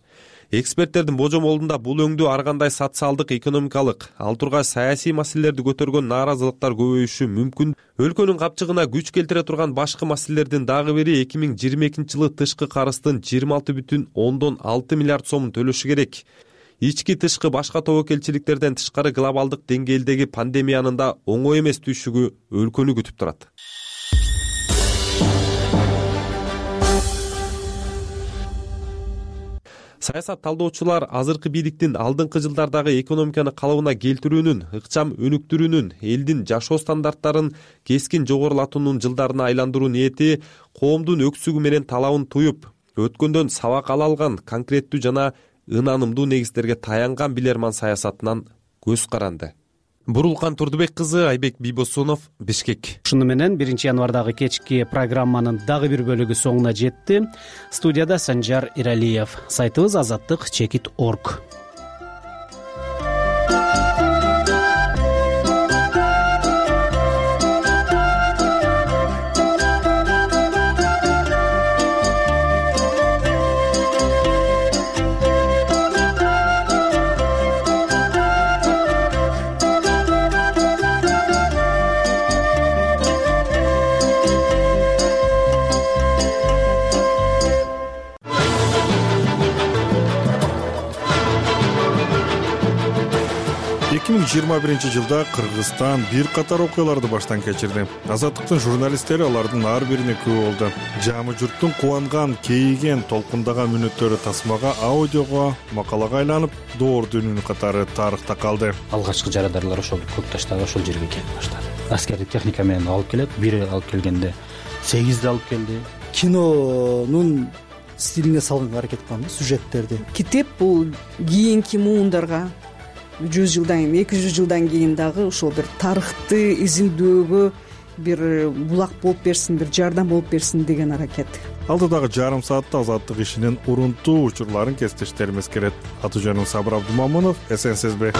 Эксперттердин божомолунда бул өңдүү ар кандай социалдык, экономикалык, ал тургай саясий маселелерди көтөргөн нааразылыктар көбөйүшү мүмкүн. Өлкөнүн капчыгына күч келтире турган башкы маселелердин дагы бири 2022-жылы тышкы карыздын 26,6 миллиард сомун төлөшү керек. Ички тышкы башка тобокелчиликтерден тышкары глобалдык деңгээлдеги пандемиянын да оңой эмес түйшүгү өлкөнү күтүп турат. Саясат талдоочулар азыркы бийликтин алдыңкы жылдардагы экономиканы калыбына келтирүүнүн, ыкчам өнүктүрүүнүн, элдин жашоо стандарттарын кескин жогорулатуунун жылдарына айландыруу ниети коомдун өксүгү менен талабын туюп, өткөндөн сабак ала алган конкреттүү жана ынанымдуу негиздерге таянган билерман саясатынан көз каранды. Бурулкан Турдубек кызы, Айбек Бийбосунов, Бишкек.
Ушуну менен 1 январдагы кечки программанын дагы бир бөлүгү соңуна жетти. Студияда Санжар Иралиев. Сайтыбыз азаттык.org.
2021-жылда Кыргызстан бир катар окуяларды баштан кечирди. Азаттыктын журналисттери алардын ар бирине күбө болду. Жаамы журттун кубанган, кейиген, толкундаган мүнөттөрү тасмага, аудиого, макалага айланып, доор дүнүн катары тарыхта калды.
Алгачкы жарандарлар ошол Көкташтагы ошол жерге келип баштады. Аскердик техника менен алып келет. Бири алып келгенде 8 алып келди.
Кинонун стилине салганга аракет кылган сюжеттерди.
Китеп бул кийинки муундарга 100 жылдан 200 жылдан кийин дагы ошол бир тарыхты изилдөөгө бир булак болуп берсин, бир жардам болуп берсин деген аракет.
Алдыдагы жарым саатта азаттык ишинин урунтуу учурларын кесиптештерибиз келет. Аты жөнүм Сабыр Абдумамунов, эсенсизби?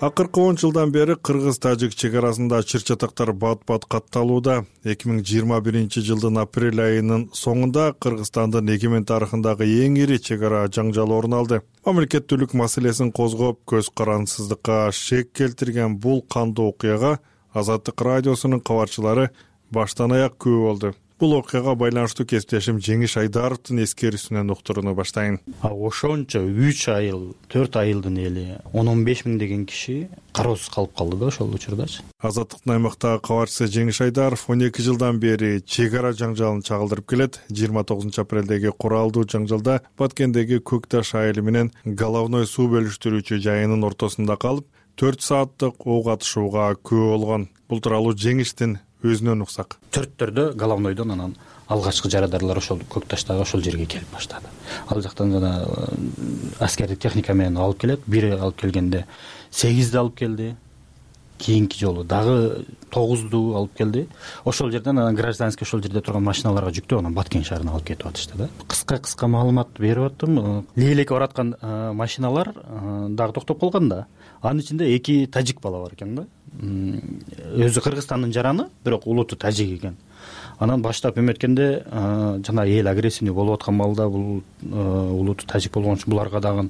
Акыркы 10 жылдан бери Кыргыз-Тажик чек арасында чыр-чатактар бат-бат катталууда. 2021-жылдын апрель айынын соңунда Кыргызстандын эгемен тарыхындагы эң ири чек ара жаңжалы орун алды. Мамлекеттүүлүк маселесин козгоп, көз карансыздыкка шек келтирген бул кандуу окуяга Азаттык радиосунун кабарчылары баштан аяк күбө болду. Бул окуяга байланыштуу кесиптешим Жеңиш Айдаровдун эскерүүсүнөн уктурууну баштайын.
Ошончо 3 айыл, 4 айылдын эли 10-15 миң деген киши кароосуз калып калды да ошол учурдачы.
Азаттыктын аймактагы кабарчысы Жеңиш Айдаров 12 жылдан бери чек ара жаңжалын чагылдырып келет. 29 апрелдеги куралдуу жаңжалда Баткендеги Көк Таш айылы менен Головной суу бөлүштүрүүчү жайынын ортосунда калып, 4 сааттык ок атышууга күбө болгон. Бул тууралуу Жеңиштин өзүнөн уксак.
Төрттөрдө Головнойдон анан алгачкы жарандарлар ошол Көк Таштагы ошол жерге келип баштады. Ал жактан гана аскердик техника менен алып келет. Бири алып келгенде 8 алып келди. Кийинки жолу дагы 9 алып келди. Ошол жерден анан гражданский ошол жерде турган машиналарга жүктөп анан Баткен шаарына алып кетип атышты да. Кыска маалымат берип аттым. Лейлекке бараткан машиналар дагы токтоп калган да. Анын ичинде 2 тажик бала бар экен да. Өзү Кыргызстандын жараны, бирок улуту тажик экен. Анан баштап эметкенде жана эл агрессивный болуп аткан маалда бул улуту тажик болгон үчүн буларга дагы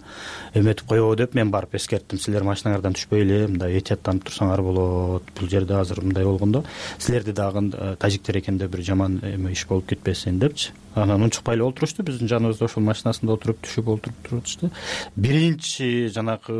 эметип коебу деп мен барып эскерттим. Силер машинаңардан түшпөй эле, мындай этияттанып турсаңар болот. Бул жерде азыр мындай болгондо силерди дагы тажиктер экен деп бир жаман иш болуп кетпесин депчи. Анан унчукпай эле отурушту, биздин жаныбызда ошол машинасында отуруп түшүп отуруп турчу. Биринчи жанагы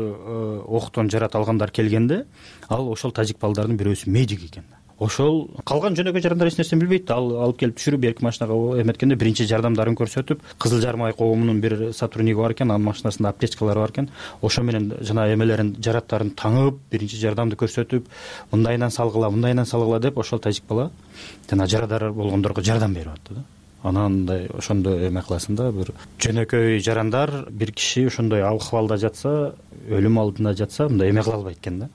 октон жарат алгандар келгенде ал ошол тажик балдардын бирөөсү медик экен. Ошол калган жөнөкөй жарандар эч нерсени билбейт. Ал алып келип түшүрүп берки машинага эметкенде биринчи жардамдарын көрсөтүп, Кызыл Жармай коомунун бир сотрудниги бар экен, анын машинасында аптечкалар бар экен. Ошо менен жана эмелерин, жараттарын таңып, биринчи жардамды көрсөтүп, мындайынан салгыла деп ошол тажик бала жана жарадар болгондорго жардам берип атты да. Анан мындай ошондо эме кыласың да, бир жөнөкөй жарандар бир киши ошондой абалда жатса, өлүм алдында жатса, мындай эме кыла албайт экен да.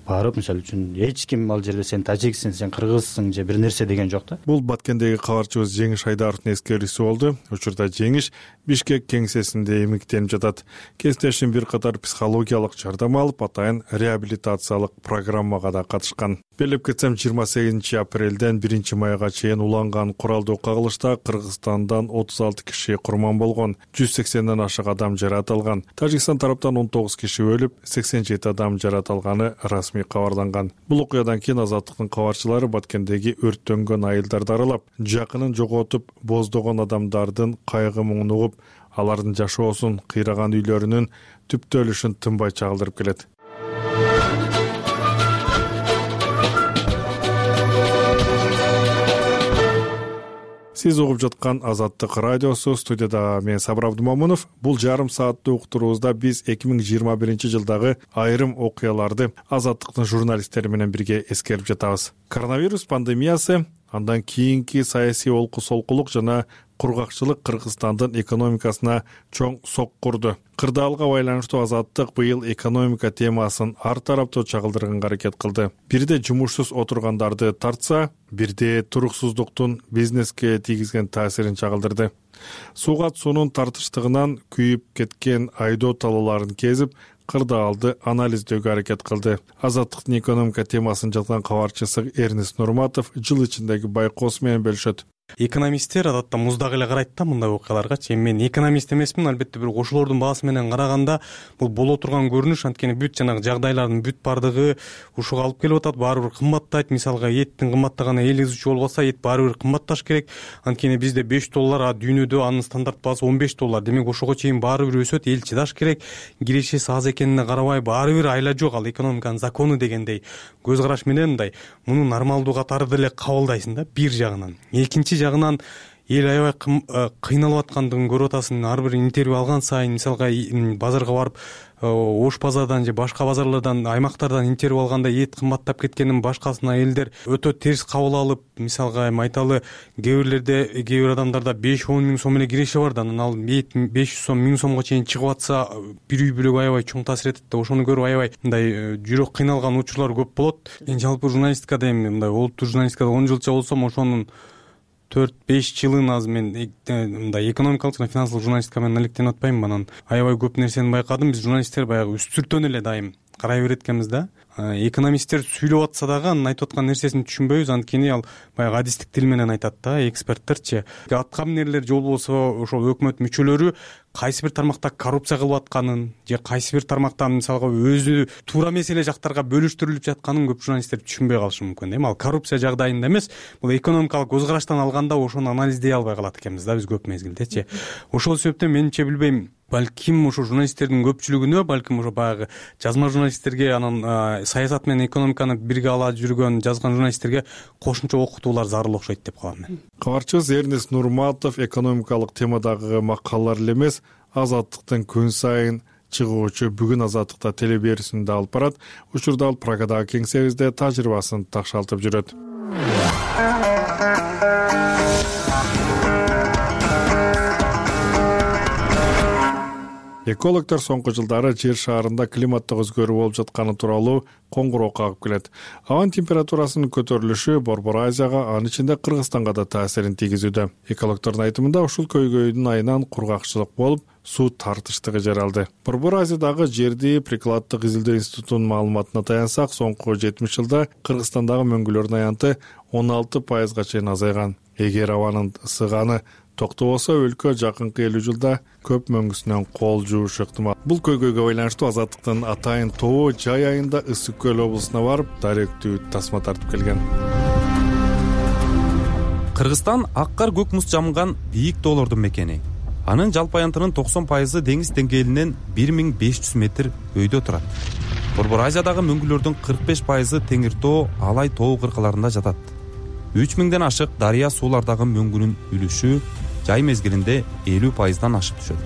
Барып, мисалы үчүн эч ким ал жерде сен тажиксиң, сен кыргызсың же бир нерсе деген жок да.
Бул Баткендеги кабарчыбыз Жеңиш Айдаровдун эскерүүсү болду. Учурда Жеңиш Бишкек кеңсесинде эмиктенип жатат. Кесиптешим бир катар психологиялык жардам алып, атайын реабилитациялык программага да катышкан. Белип кетсем, 28 апрелден 1 майга чейин уланган куралдуу кагылышта Кыргызстандан 36 киши курман болгон, 180ден ашык адам жарат алган. Тажикстан тараптан 19 киши өлүп, 87 адам жарат алганы расмий кабарланган. Бул окуядан кийин Азаттыктын кабарчылары Баткендеги өрттөнгөн айылдарды аралап, жакынын жоготуп боздогон адамдардын кайгы муңун угуп, алардын жашоосун, кыйраган үйлөрүнүн түптөлүшүн тынбай чагылдырып келет. Сиз угуп жаткан Азаттык радиосу, студияда мен Сабыр Абдумамунов. Бул жарым сааттуу уктуруубузда биз 2021 жылдагы айрым окуяларды Азаттыктын журналисттери менен бирге эскерип жатабыз. Коронавирус пандемиясы, андан кийинки саясий олку-солкулук жана кургакчылык Кыргызстандын экономикасына чоң сок курду. Кырдаалга байланыштуу Азаттык быйыл экономика темасын ар тараптуу чагылдырганга аракет кылды. Бирде жумушсуз отургандарды тартса, бирде туруксуздуктун бизнеске тийгизген таасирин чагылдырды. Суугат суунун тартыштыгынан күйүп кеткен айдоо талооларын кезип, кырдаалды анализдөөгө аракет кылды. Азаттыктын экономика темасын жазган кабарчысы Эрнест Нурматов жыл ичиндеги байкоосу менен бөлүшөт.
Экономисттер адатта муздак эле карайт да мындай окуяларгачы. Эми мен экономист эмесмин, албетте, бирок ошолордун баасы менен караганда бул боло турган көрүнүш. Анткени бүт жанагы жагдайлардын бүт бардыгы ушуга алып келип атат. Баары бир кымбаттайт. Мисалга эттин кымбаттаганы эл изүүчү болуп атса, эт баары бир кымбатташ керек. Анткени бизде $5, а дүйнөдө анын стандарт баасы $15. Демек ошого чейин баары бир өсөт. Эл чыдаш керек. Кирешеси аз экенине карабай баары бир айла жок. Ал экономиканын закону дегендей көз караш менен мындай муну нормалдуу катары деле кабылдайсың да бир жагынан. Экинчи жагынан эл аябай кыйналып аткандыгын көрүп атасың. Ар бир интервью алган сайын, мисалга базарга барып, Ош базардан же башка базарлардан, аймактардан интервью алганда эт кымбаттап кеткенин башкасына элдер өтө терс кабыл алып, мисалга эми айталы, кээ бир адамдарда 5-10 миң сом эле киреше бар да, анан ал эт 500 сом, 1000 сомго чейин чыгып атса, бир үй бүлөгө аябай чоң таасир этет да. Ошону көрүп аябай мындай жүрөк кыйналган учурлар көп болот. Мен жалпы журналистикада эми мындай олуттуу журналистикада 10 жылча болсом, ошонун 4-5 жылын азыр мен мындай экономикалык жана финансылык журналистика менен алектенип атпайм. Анан аябай көп нерсени байкадым. Биз журналисттер баягы үстүртөн эле дайым карай берет экенбиз да. Экономисттер сүйлөп атса дагы анын айтып аткан нерсесин түшүнбөйбүз. Анткени ал баягы адистик тил менен айтат да, эксперттерчи. Аткаминерлер же болбосо ошол өкмөт мүчөлөрү кайсы бир тармакта коррупция кылып атканын же кайсы бир тармакта мисалга өзү туура эмес эле жактарга бөлүштүрүлүп жатканын көп журналисттер түшүнбөй калышы мүмкүн. Эми ал коррупция жагдайында эмес, бул экономикалык көз караштан алганда ошону анализдей албай калат экенбиз да биз көп мезгилдечи. Ошол себептен менимче билбейм, балким ошо журналисттердин көпчүлүгүнө, балким ошо баягы жазма журналисттерге, анан саясат менен экономиканы бирге ала жүргөн жазган журналисттерге кошумча окутуулар зарыл окшойт деп калам мен.
Кабарчыбыз Эрнест Нурматов экономикалык темадагы макалалар эле эмес, Азаттыктын күн сайын чыгуучу бүгүн Азаттыкта телеберүүсүндө алып барат. Учурда ал Прагадагы кеңсебизде тажрыйбасын такшалтып жүрөт. Экологдор соңку жылдары жер шаарында климаттык өзгөрүү болуп жатканы тууралуу коңгуроо кагып келет. Абанын температурасынын көтөрүлүшү Борбор Азияга, анын ичинде Кыргызстанга да таасирин тийгизүүдө. Экологдордун айтымында ушул көйгөйдүн айынан кургакчылык болуп, суу тартыштыгы жаралды. Борбор Азиядагы жерди прикладдык изилдөө институтунун маалыматына таянсак, соңку 70 жылда Кыргызстандагы мөңгүлөрдүн аянты 16% чейин азайган. Эгер абанын ысыганы токтобосо, өлкө жакынкы 50 жылда көп мөңгүсүнөн кол жуушу ыктымал. Бул көйгөйгө байланыштуу Азаттыктын Атайын тобу жай айында Ысык көл облусуна барып, даректүү тасма тартып келген.
Кыргызстан аккар көк муз жамган бийик тоолордун мекени. Анын жалпы аянтынын 90% деңиз деңгээлинен 1500 метр өйдө турат. Борбор Азиядагы мөңгүлөрдүн 45% теңир тоо, Алай тоо кыркаларында жатат. 3000ден ашык дарыя суулардагы мөңгүнүн үлүшү жай мезгилинде 50%дан ашып түшөт.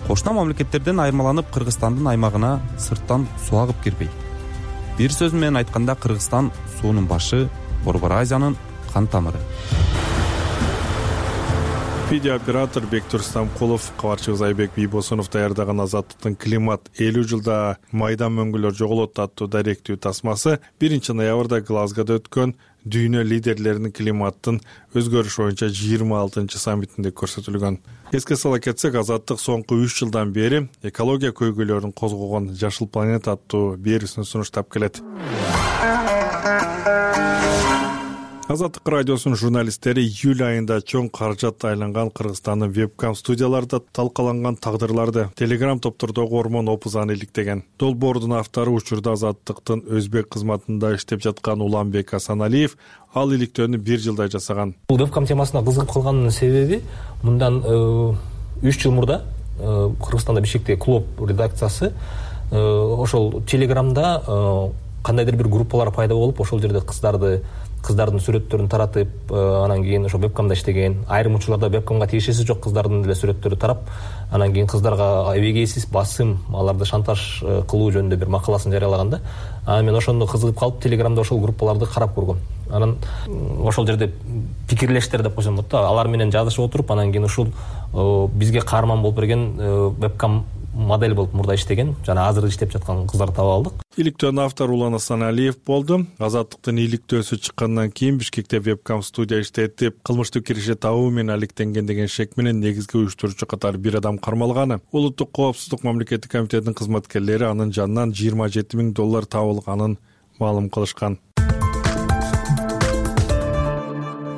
Кошуна мамлекеттерден айырмаланып, Кыргызстандын аймагына сырттан суу агып кирбейт. Бир сөз менен айтканда, Кыргызстан суунун башы, Борбор Азиянын кан тамыры.
Видеооператор Бектур Стамкулов, кабарчыбыз Айбек Бийбосунов даярдаган Азаттыктын климат 50 жылда майдан мөңгүлөр жоголот аттуу даректүү тасмасы 1 ноябрда Глазгода өткөн дүйнө лидерлеринин климаттын өзгөрүш боюнча 26 саммитинде көрсөтүлгөн. Эске сала кетсек, Азаттык соңку 3 жылдан бери экология көйгөйлөрүн козгогон Жашыл планета аттуу берүүсүн сунуштап келет. Азаттык радиосунун журналисттери июль айында чоң каражат айланган Кыргызстандын вебкам студияларда талкаланган тагдырларды Telegram топтордогу Ормон Опузаны иликтеген. Долбоордун автору учурда Азаттыктын өзбек кызматында иштеп жаткан Уланбек Асаналиев ал иликтөөнү 1 жылдай жасаган.
Бул вебкам темасына кызыгып калганын себеби, мындан 3 жыл мурда Кыргызстанда Бишкектеги клуб редакциясы ошол Телеграмда кандайдыр бир группалар пайда болуп, ошол жерде кыздардын сүрөттөрүн таратып, анан кийин ошо вебкамда иштеген, айрым учурларда вебкамга тиешеси жок кыздардын деле сүрөттөрү тарап, анан кийин кыздарга эбегейсиз басым, аларды шантаж кылуу жөнүндө бир макаласын жарыялаган да. Анан мен ошондо кызыгып калып, Телеграмда ошол группаларды карап көргөм. Анан ошол жерде пикирлештер деп койсом болот да, алар менен жазышып отуруп, анан кийин ушул бизге каарман болуп берген вебкам модель болуп мурда иштеген жана азыр иштеп жаткан кыздарды таап алдык.
Иликтөөнүн автору Улан Асаналиев болду. Азаттыктын иликтөөсү чыккандан кийин Бишкекте вебкам студия иштетип, кылмыштык киреше табуу менен алектенген деген шек менен негизги уюштуруучу катары бир адам кармалганы. Улуттук коопсуздук мамлекеттик комитетинин кызматкерлери анын жанынан $27 000 табылганын маалым кылышкан.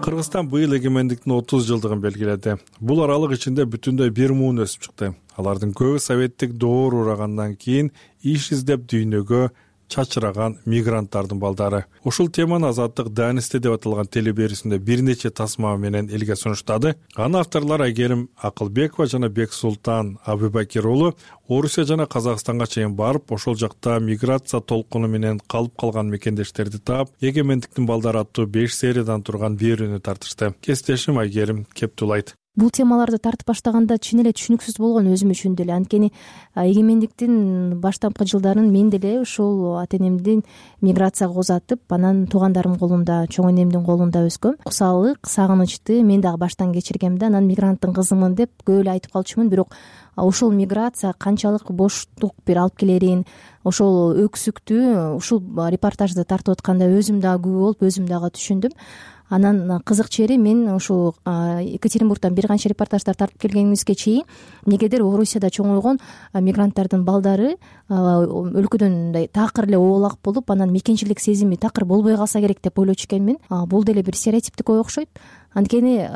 Кыргызстан быйыл эгемендиктин 30 жылдыгын белгиледи. Бул аралык ичинде бүтүндөй бир муун өсүп чыкты. Алардын көбү советтик доор урагандан кийин иш издеп дүйнөгө чачыраган мигранттардын балдары. Ушул теманы Азаттык Данисте деп аталган телеберүүсүндө бир нече тасма менен элге сунуштады. Анын авторлору Айгерим Акылбекова жана Бексултан Абубакир уулу Орусия жана Казакстанга чейин барып, ошол жакта миграция толкуну менен калып калган мекендештерди таап, эгемендиктин балдары аттуу 5 сериядан турган берүүнү тартышты. Кесиптешим Айгерим кептулайт.
Бул темаларды тартып баштаганда чын эле түшүнүксүз болгон өзүм үчүн деле. Анткени эгемендиктин баштапкы жылдарын мен деле ушул ата энемдин миграцияга узатып, анан туугандарым колунда, чоң энемдин колунда өскөм. Кусалык, сагынычты мен дагы баштан кечиргем да. Анан мигранттын кызымын деп көп эле айтып калчумун, бирок ошол миграция канчалык боштук бир алып келерин, ошол өксүктү ушул репортажды тартып атканда өзүм дагы күбө болуп, өзүм дагы түшүндүм. Анан кызык жери мен ошол Екатеринбургдан бир канча репортаждар тартып келгенимизге чейин эмнегедир Орусияда чоңойгон мигранттардын балдары өлкөдөн мындай такыр эле оолак болуп, анан мекенчилик сезими такыр болбой калса керек деп ойлочу экенмин. Бул деле бир стереотиптик ой окшойт. Анткени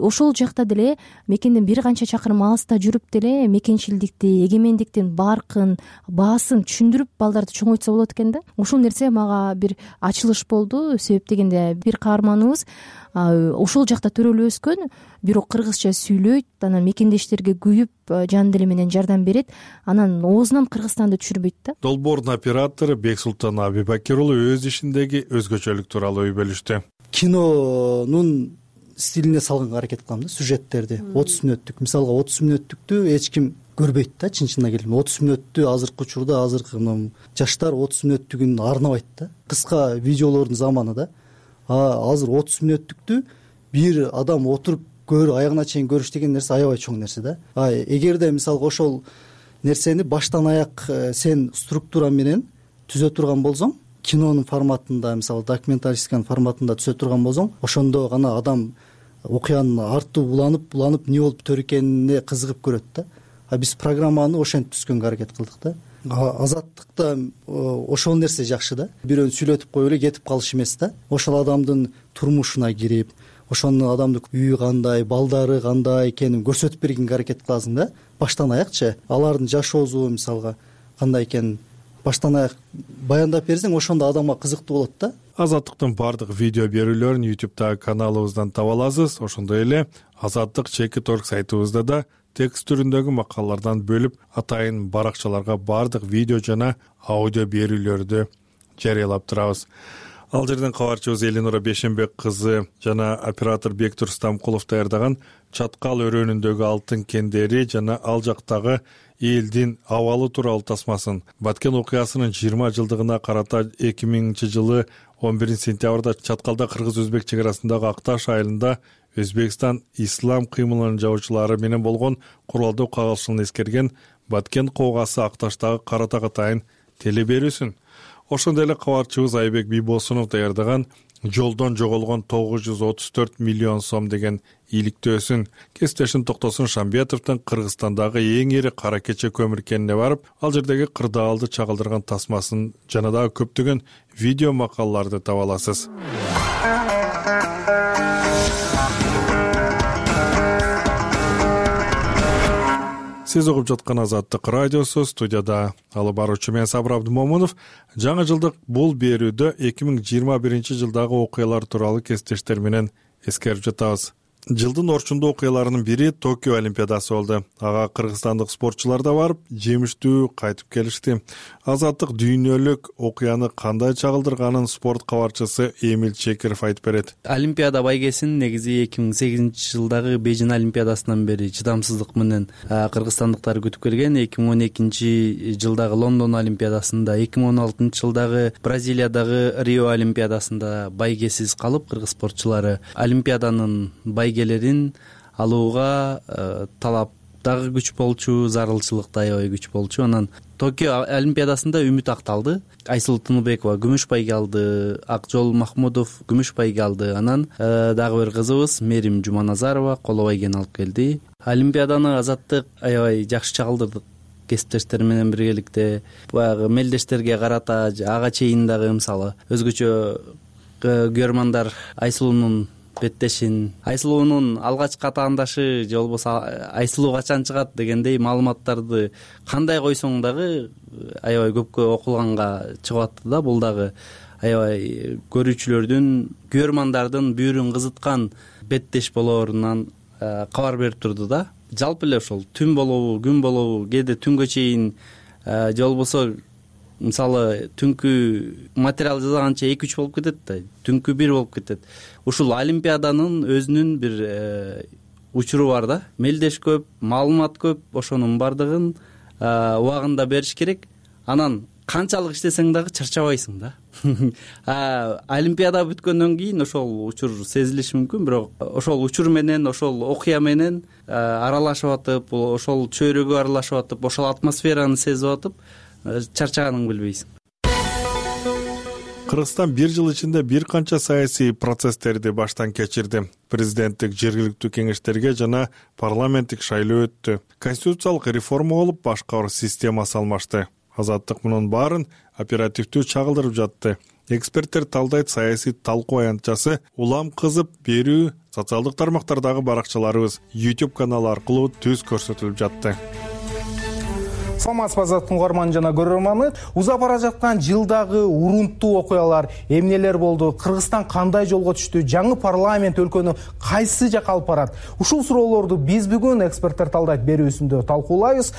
ошол жакта деле мекенден бир канча чакырым алыста жүрүп деле мекенчилдикти, эгемендиктин баркын, баасын түшүндүрүп балдарды чоңойтса болот экен да. Ушул нерсе мага бир ачылыш болду. Себеп дегенде бир каарманыбыз ошол жакта төрөлүп өскөн, бирок кыргызча сүйлөйт, анан мекендештерге күйүп, жан дили менен жардам берет, анан оозунан Кыргызстанды түшүрбөйт да.
Долбоордун оператору Бексултан Абубакир уулу өз ишиндеги өзгөчөлүк тууралуу ой бөлүштү.
Кинонун стилине салганга аракет кылам да, сюжеттерди. 30 мүнөттүк, мисалга 30 мүнөттүктү эч ким көрбөйт да, чын-чынына келгенде. 30 мүнөттү азыркы учурда азыркы жаштар 30 мүнөттүгүн арнабайт да. Кыска видеолордун заманы да. Азыр 30 мүнөттүктү бир адам отуруп аягына чейин көрүш деген нерсе аябай чоң нерсе да. Эгерде мисалга ошол нерсени баштан аяк сен структура менен түзө турган болсоң, кинонун форматында, мисалы документалистиканын форматында түзө турган болсоң, ошондо гана адам окуянын арты уланып эмне болуп бүтөр экенине кызыгып көрөт да. Биз программаны ошентип түзгөнгө аракет кылдык да. Азаттыкта ошол нерсе жакшы да. Бирөөнү сүйлөтүп коюп эле кетип калыш эмес да. Ошол адамдын турмушуна кирип, ошонун адамдын үйү кандай, балдары кандай экенин көрсөтүп бергенге аракет кыласың да. Баштан аякчы алардын жашоосу мисалга кандай экенин баштан аяк баяндап берсең, ошондо адамга кызыктуу болот да.
Азаттыктын бардык видео берүүлөрүн YouTube'дагы каналыбыздан таба аласыз. Ошондой эле Азаттык ЧК.org сайтыбызда да текст түрүндөгү макалалардан бөлүп атайын баракчаларга бардык видео жана аудио берүүлөрдү жарыялап турабыз. Ал жерден кабарчыбыз Элинура Бешенбек кызы жана оператор Бектур Стамкулов даярдаган Чаткал өрөөнүндөгү алтын кендери жана ал жактагы элдин абалы тууралуу тасмасын Баткен окуясынын 20 жылдыгына карата 2000-жылы 11-сентябрда Чаткалда кыргыз-өзбек чек арасындагы Акташ айылында Өзбекстан ислам кыймылынын жабуучулары менен болгон куралдуу кагылышуулун эскерген Баткен коогасы Акташтагы Каратак атайын телеберүүсүн. Ошондой эле кабарчыбыз Айбек Бийбосунов даярдаган Жолдон жоголгон 934 миллион сом деген ийгиликтөөсүн. Кесиптешим Токтосун Шамбетовдун Кыргызстандагы эң ири кара кече көмүр кенине барып, ал жердеги кырдаалды чагылдырган тасмасын жана дагы көптөгөн видео макалаларды таба аласыз. Сиз угуп жаткан Азаттык радиосу, студияда алып баруучу мен Сабыр Абдумомунов. Жаңы жылдык бул берүүдө 2021 жылдагы окуялар тууралуу кесиптештер менен эскерип жатабыз. Жылдын орчундуу окуяларынын бири Токио Олимпиадасы болду. Ага кыргызстандык спортчулар да барып, жемиштүү кайтып келишти. Азаттык дүйнөлүк окуяны кандай чагылдырганын спорт кабарчысы Эмил Чекиров айтып берет.
Олимпиада байгесин негизи 2008-жылдагы Бейжин Олимпиадасынан бери чыдамсыздык менен кыргызстандыктар күтүп келген. 2012-жылдагы Лондон Олимпиадасында, 2016-жылдагы Бразилиядагы Рио Олимпиадасында байгесиз калып, кыргыз спортчулары Олимпиаданын байгелерин алууга талап дагы күч болчу, зарылчылык да аябай күч болчу. Анан Токио Олимпиадасында үмүт акталды. Айсулуу Тыныбекова күмүш байге алды, Акжол Махмудов күмүш байге алды. Анан дагы бир кызыбыз Мерим Жуманазарова коло байгени алып келди. Олимпиаданы Азаттык аябай жакшы чагылдырдык. Кесиптештер менен биргеликте баягы мелдештерге карата ага чейин дагы мисалы өзгөчө көрмандар Айсулуунун беттешин, Айсулуунун алгачкы атаандашы же болбосо Айсулуу качан чыгат дегендей маалыматтарды кандай койсоң дагы аябай көпкө окулганга чыгып атты да. Бул дагы аябай көрүүчүлөрдүн, көрөрмандардын бүйүрүн кызыткан беттеш болоорунан кабар берип турду да. Жалпы эле ошол түн болобу, күн болобу, кээде түнгө чейин же болбосо мисалы түнкү материал жасаганча 2-3 болуп кетет да, түнкү 1 болуп кетет. Ушул Олимпиаданын өзүнүн бир учуру бар да. Мелдеш көп, маалымат көп, ошонун бардыгын убагында бериш керек. Анан канчалык иштесең дагы чарчабайсың да. Олимпиада бүткөндөн кийин ошол учур сезилиши мүмкүн, бирок ошол учур менен, ошол окуя менен аралашып атып, ошол чөйрөгө аралашып атып, ошол атмосфераны сезип атып, чарчаганыңды билбейсиң.
Кыргызстан бир жыл ичинде бир канча саясий процесстерди баштан кечирди. Президенттик, жергиликтүү кеңештерге жана парламенттик шайлоо өттү. Конституциялык реформа болуп, башкаруу системасы алмашты. Азаттык мунун баарын оперативдүү чагылдырып жатты. Эксперттер талдайт, саясий талкуу аянтчасы улам кызып берүү социалдык тармактардагы баракчаларыбыз, YouTube каналы аркылуу түз көрсөтүлүп жатты.
Саламатсызбы Азаттыктын угарманы жана көрөрманы. Узап бара жаткан жылдагы урунттуу окуялар эмнелер болду? Кыргызстан кандай жолго түштү? Жаңы парламент өлкөнү кайсы жакка алып барат? Ушул суроолорду биз бүгүн эксперттер талдайт берүүсүндө талкуулайбыз.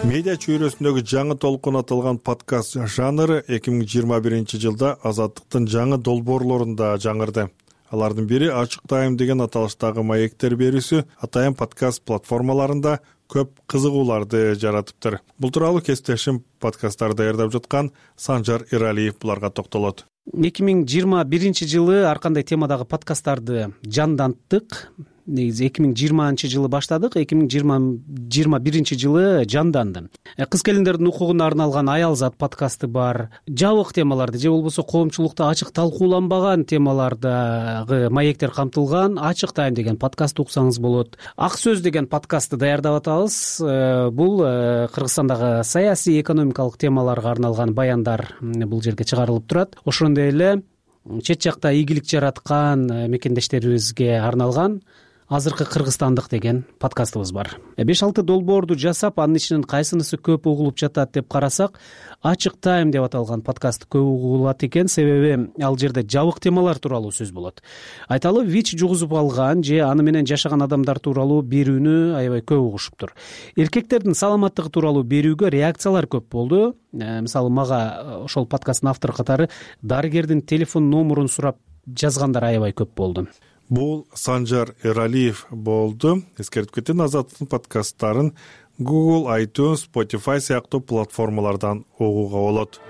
Медиа чөйрөсүндөгү жаңы толкун аталган подкаст жанры 2021 жылда Азаттыктын жаңы долбоорлорунда жаңырды. Алардын бири Ачык Тайм деген аталыштагы маектер берүүсү атайын подкаст платформаларында көп кызыгууларды жаратыптыр. Бул тууралуу кесиптешим подкасттарды даярдап жаткан Санжар Эралиев буларга токтолот.
2021 жылы ар кандай темадагы подкасттарды жанданттык. Негизи 2020 жылы баштадык, 2021 жылы жанданды. Кыз келиндердин укугуна арналган Аялзат подкасты бар. Жабык темаларды же болбосо коомчулукта ачык талкууланбаган темалардагы маектер камтылган Ачык Тайм деген подкастты уксаңыз болот. Ак сөз деген подкастты даярдап атабыз. Бул Кыргызстандагы саясий, экономикалык темаларга арналган баяндар бул жерге чыгарылып турат. Ошондой эле чет жакта ийгилик жараткан мекендештерибизге арналган Азыркы Кыргызстандык деген подкастыбыз бар. 5-6 долбоорду жасап, анын ичинен кайсынысы көп угулуп жатат деп карасак, Ачык Тайм деп аталган подкаст көп угулат экен, себеби ал жерде жабык темалар тууралуу сөз болот. Айталы, ВИЧ жугузуп алган же аны менен жашаган адамдар тууралуу берүүнү аябай көп угушуптур. Эркектердин саламаттыгы тууралуу берүүгө реакциялар көп болду. Мисалы, мага ошол подкасттын автору катары дарыгердин телефон номурун сурап жазгандар аябай көп болду.
Бул Санжар Эралиев болду. Эскертип кетейин, Азаттыктын подкасттарын Google, iTunes, Spotify сыяктуу платформалардан угууга болот.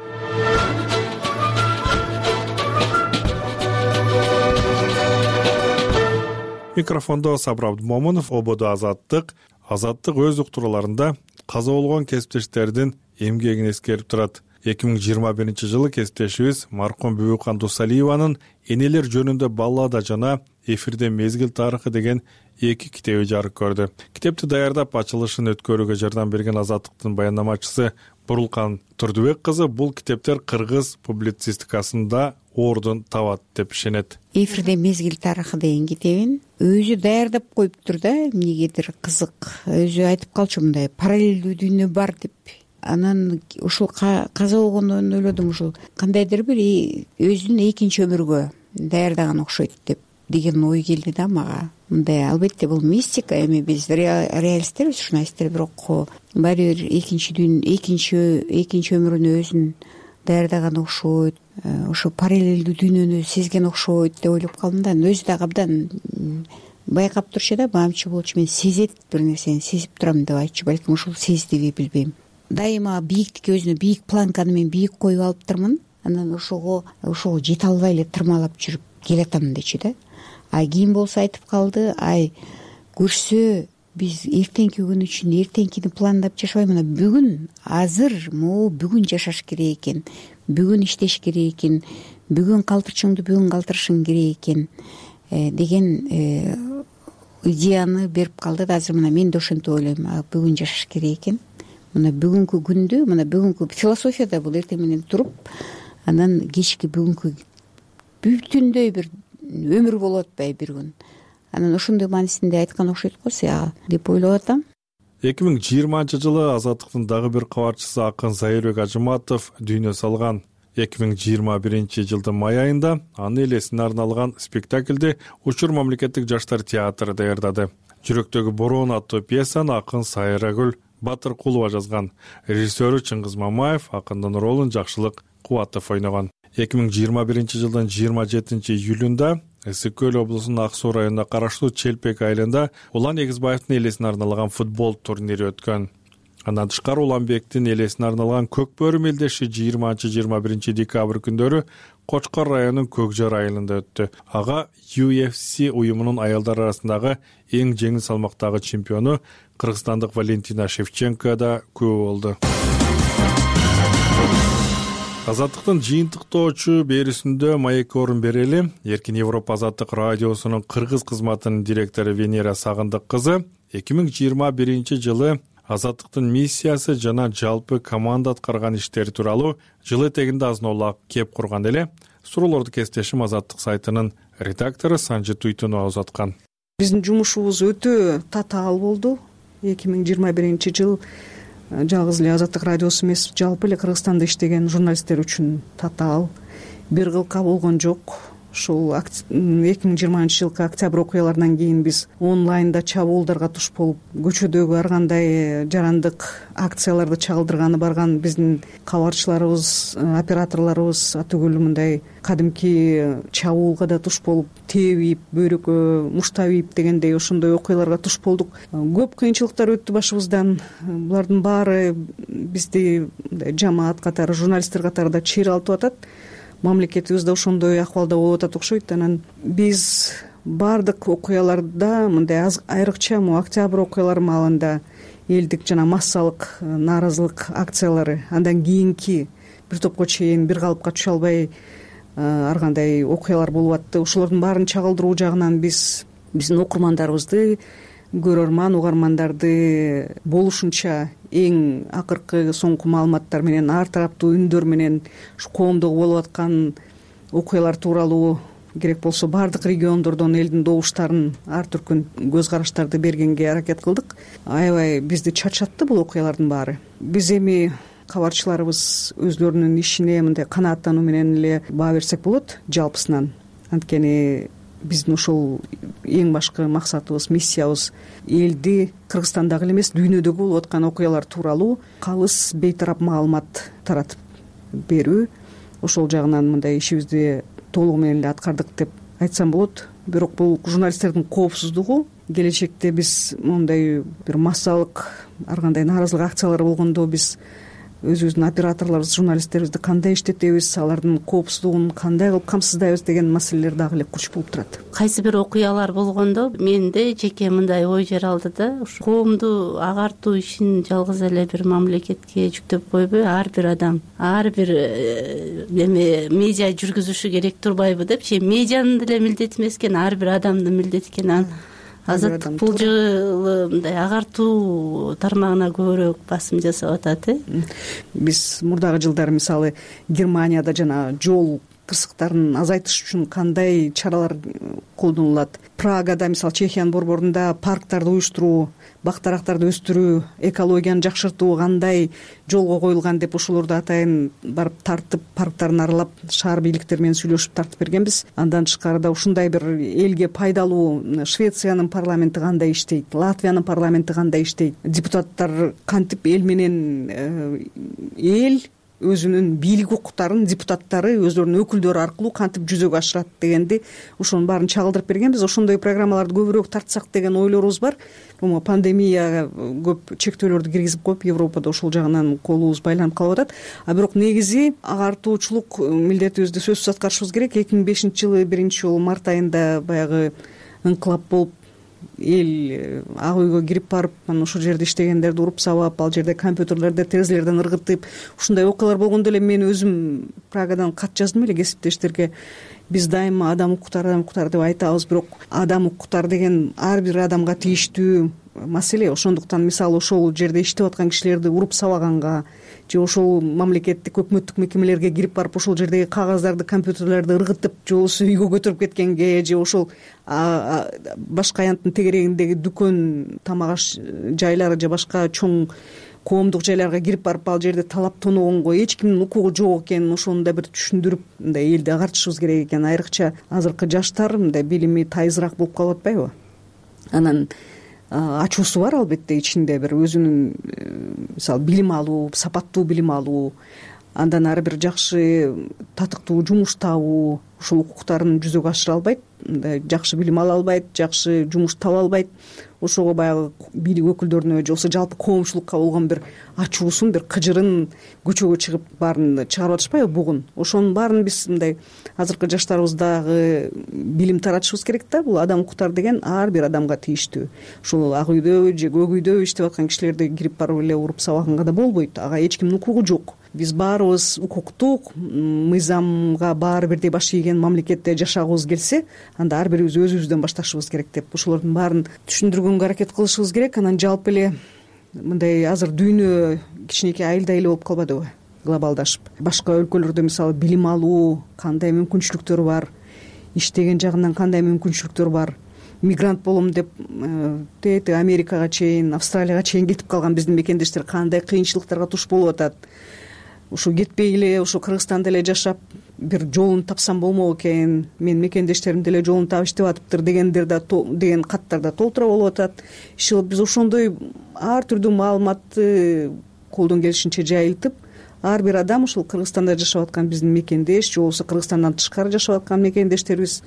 Микрофондо Сабыр Абдумомунов, ободо Азаттык. Азаттык өз уктурууларында каза болгон кесиптештердин эмгегин эскерип турат. 2021 жылы кесиптешибиз маркум Бүбүкан Дусалиеванын «Энелер жөнүндө баллада» жана «Эфирде мезгил тарыхы» деген 2 китеби жарык көрдү. Китепти даярдап ачылышын өткөрүүгө жардам берген Азаттыктын баяндамачысы Бурулкан Турдубек кызы бул китептер кыргыз публицистикасында ордун табат деп ишенет.
«Эфирде мезгил тарыхы» деген китебин өзү даярдап коюптур да, эмнегедир кызык. Өзү айтып калчу, мындай параллелдүү дүйнө бар деп. Анан ушул каза болгондон ойлодум, ушул кандайдыр бир өзүнүн экинчи өмүргө даярдаган окшойт деген ой келди да мага. Мындай, албетте бул мистика, эми биз реалисттербиз, журналисттер, бирок баары бир экинчи өмүрүнө өзүн даярдаган окшойт, ошо параллелдүү дүйнөнү сезген окшойт деп ойлоп калдым да. Өзү дагы абдан байкап турчу да, баамчы болчу, мен сезет, бир нерсени сезип турам деп айтчу. Балким ушул сездиби билбейм. Дайыма бийиктикке өзүнө бийик планканы мен бийик коюп алыптырмын. Анан ошого жете албай эле тырмалап жүрүп келатам дечи да. Кийин болсо айтып калды, көрсө биз эртеңки күн үчүн эртеңкини пландап жашабай, мына бүгүн, азыр, бүгүн жашаш керек экен, бүгүн иштеш керек экен, бүгүн калтырчыңды бүгүн калтырышың керек экен деген идеяны берип калды да. Азыр мына мен да ошентип ойлойм, бүгүн жашаш керек экен. Мына бүгүнкү күндү, мына бүгүнкү философияда бул эртең менен туруп, анан кечки бүгүнкү бүтүндөй бир өмүр болуп атпайбы бир күн. Анан ошондой маанисинде айткан окшойт го сага деп ойлоп атам.
2020-жылы Азаттыктын дагы бир кабарчысы акын Зайырбек Ажыматов дүйнө салган. 2021-жылдын май айында анын элесине арналган спектаклди Учур мамлекеттик жаштар театры даярдады. Жүрөктөгү бороон аттуу пьесаны акын Сайрагүл Батыркулова жазган. Режиссеру Чыңгыз Мамаев, акындын ролун Жакшылык Кубатов ойногон. 2021-жылдын 27-июлунда Ысык Көл облусунун Ак Суу районуна караштуу Челпек айылында Улан Эгизбаевдин элесине арналган футбол турнири өткөн. Андан тышкары Уланбектин элесине арналган Көк бөрү мелдеши 20-21 декабрь күндөрү Кочкор районунун Көкжар айылында өттү. Ага UFC уюмунун аялдар арасындагы эң жеңил салмактагы чемпиону кыргызстандык Валентина Шевченко да күбө болду. Азаттыктын жыйынтыктоочу берүүсүндө маекке орун берели. Эркин Европа Азаттык радиосунун кыргыз кызматынын директору Венера Сагындык кызы 2021-жылы Азаттыктын миссиясы жана жалпы команда аткарган иштери тууралуу жыл этегинде азын-аулак кеп курган эле. Суроолорду кесиптешим Азаттык сайтынын редактору Санжы Туйтунова узаткан.
Биздин жумушубуз өтө татаал болду. 2021-жыл жалгыз эле Азаттык радиосу эмес, жалпы эле Кыргызстанда иштеген журналисттер үчүн татаал. Бир кылка болгон жок. Ушул 2020-жылкы октябрь окуяларынан кийин биз онлайнда чабуулдарга туш болуп, көчөдөгү ар кандай жарандык акцияларды чагылдырганы барган биздин кабарчыларыбыз, операторлорубуз атүгүл мындай кадимки чабуулга да туш болуп, тебип, бөйрөккө муштап ийип дегендей ошондой окуяларга туш болдук. Көп кыйынчылыктар өттү башыбыздан. Булардын баары бизди жамаат катары, журналисттер катарында чыйралтып атат. Мамлекетибиз да ошондой акыбалда болуп атат окшойт. Анан биз баардык окуяларда мындай айрыкча октябрь окуялары маалында элдик жана массалык нааразылык акциялары, андан кийинки бир топко чейин бир калыпка түшө албай ар кандай окуялар болуп атты. Ошолордун баарын чагылдыруу жагынан биздин окурмандарыбызды, көрөрман угармандарды болушунча эң акыркы соңку маалыматтар менен, ар тараптуу үндөр менен коомдогу болуп аткан окуялар тууралуу керек болсо баардык региондордон элдин добуштарын, ар түркүн көз караштарды бергенге аракет кылдык. Аябай бизди чачатты бул окуялардын баары. Биз эми кабарчыларыбыз өзлөрүнүн ишине мындай канааттануу менен эле баа берсек болот жалпысынан. Анткени биздин ошол эң башкы максатыбыз, миссиябыз элди Кыргызстандагы эле эмес, дүйнөдөгү болуп аткан окуялар тууралуу калыс бейтарап маалымат таратып берүү. Ошол жагынан мындай ишибизди толугу менен эле аткардык деп айтсам болот. Бирок бул журналисттердин коопсуздугу, келечекте биз мондай бир массалык ар кандай нааразылык акциялар болгондо биз өзүбүздүн операторлорубуз, журналисттерибизди кандай иштетебиз, алардын коопсуздугун кандай кылып камсыздайбыз деген маселелер дагы эле курч болуп турат.
Кайсы бир окуялар болгондо менде жеке мындай ой жаралды да, коомду агартуу ишин жалгыз эле бир мамлекетке жүктөп койбой, ар бир адам, ар бир медиа жүргүзүшү керек турбайбы депчи. Медианын деле милдети эмес экен, ар бир адамдын милдети экен. Азаттык бул жылы мындай агартуу тармагына көбүрөөк басым жасап атат.
Биз мурдагы жылдары мисалы Германияда жана жол кырсыктарын азайтыш үчүн кандай чаралар колдонулат. Прагада, мисалы Чехиянын борборунда парктарды уюштуруу, бак-дарактарды өстүрүү, экологияны жакшыртуу кандай жолго коюлган деп ошолорду атайын барып тартып, парктарын аралап, шаар бийликтери менен сүйлөшүп тартып бергенбиз. Андан тышкарыда ушундай бир элге пайдалуу Швециянын парламенти кандай иштейт, Латвиянын парламенти кандай иштейт, депутаттар кантип эл менен эл өзүнүн бийлик укуктарын депутаттары өздөрүнүн өкүлдөрү аркылуу кантип жүзөгө ашырат дегенди ошонун баарын чагылдырып бергенбиз. Ошондой программаларды көбүрөөк тартсак деген ойлорубуз бар. Пандемия көп чектөөлөрдү киргизип коюп, Европада ошол жагынан колубуз байланып калып атат. Бирок негизи агартуучулук милдетибизди сөзсүз аткарышыбыз керек. 2005-жылы 1-жолу март айында баягы ыңкылап болуп, эл ак үйгө кирип барып, анан ошол жерде иштегендерди уруп сабап, ал жерде компьютерлерди, терезелерден ыргытып, ушундай окуялар болгондо эле мен өзүм Прагадан кат жаздым эле кесиптештерге. Биз дайыма адам укуктары деп айтабыз, бирок адам укуктары деген ар бир адамга тийиштүү, маселе. Ошондуктан мисалы ошол жерде иштеп аткан кишилерди уруп сабаганга же ошол мамлекеттик өкмөттүк мекемелерге кирип барып ошол жердеги кагаздарды, компьютерлерди ыргытып же болбосо үйгө көтөрүп кеткенге же ошол башка аянттын тегерегиндеги дүкөн, тамак аш жайлары же башка чоң коомдук жайларга кирип барып ал жерде талап тоногонго эч кимдин укугу жок экенин ошону да бир түшүндүрүп мындай элди агартышыбыз керек экен. Айрыкча азыркы жаштар мындай билими тайызыраак болуп калып атпайбы? Анан ачуусу бар албетте ичинде бир өзүнүн мисалы билим алуу, сапаттуу билим алуу, андан ары бир жакшы татыктуу жумуш табуу, ушул укуктарын жүзөгө ашыра албайт, мындай жакшы билим ала албайт, жакшы жумуш таба албайт. Ошого баягы бийлик өкүлдөрүнө же болбосо жалпы коомчулукка болгон бир ачуусун, бир кыжырын көчөгө чыгып баарын чыгарып атышпайбы бугун? Ошонун баарын биз мындай азыркы жаштарыбыздагы билим таратышыбыз керек да. Бул адам укуктары деген ар бир адамга тийиштүү. Ушул ак үйдө же көк үйдө иштеп аткан кишилерди кирип барып эле уруп сабаганга да болбойт. Ага эч кимдин укугу жок. Биз баарыбыз укуктук мыйзамга баары бирдей баш ийген мамлекетте жашагыбыз келсе, анда ар бирибиз өзүбүздөн башташыбыз керек деп ошолордун баарын түшүндүргөнгө аракет кылышыбыз керек. Анан жалпы эле мындай азыр дүйнө кичинекей айылдай эле болуп калбадыбы, глобалдашып. Башка өлкөлөрдө мисалы билим алуу кандай мүмкүнчүлүктөр бар, иштеген жагынан кандай мүмкүнчүлүктөр бар. Мигрант болом деп тети Америкага чейин, Австралияга чейин кетип калган биздин мекендештер кандай кыйынчылыктарга туш болуп атат. Ушу кетпей эле ушу Кыргызстанда эле жашап бир жолун тапсам болмок экен, менин мекендештерим деле жолун таап иштеп атыптыр дегендер да деген каттар да толтура болуп атат. Иши кылып биз ошондой ар түрдүү маалыматты колдон келишинче жайылтып, ар бир адам ушул Кыргызстанда жашап аткан биздин мекендеш же болбосо Кыргызстандан тышкары жашап аткан мекендештерибиз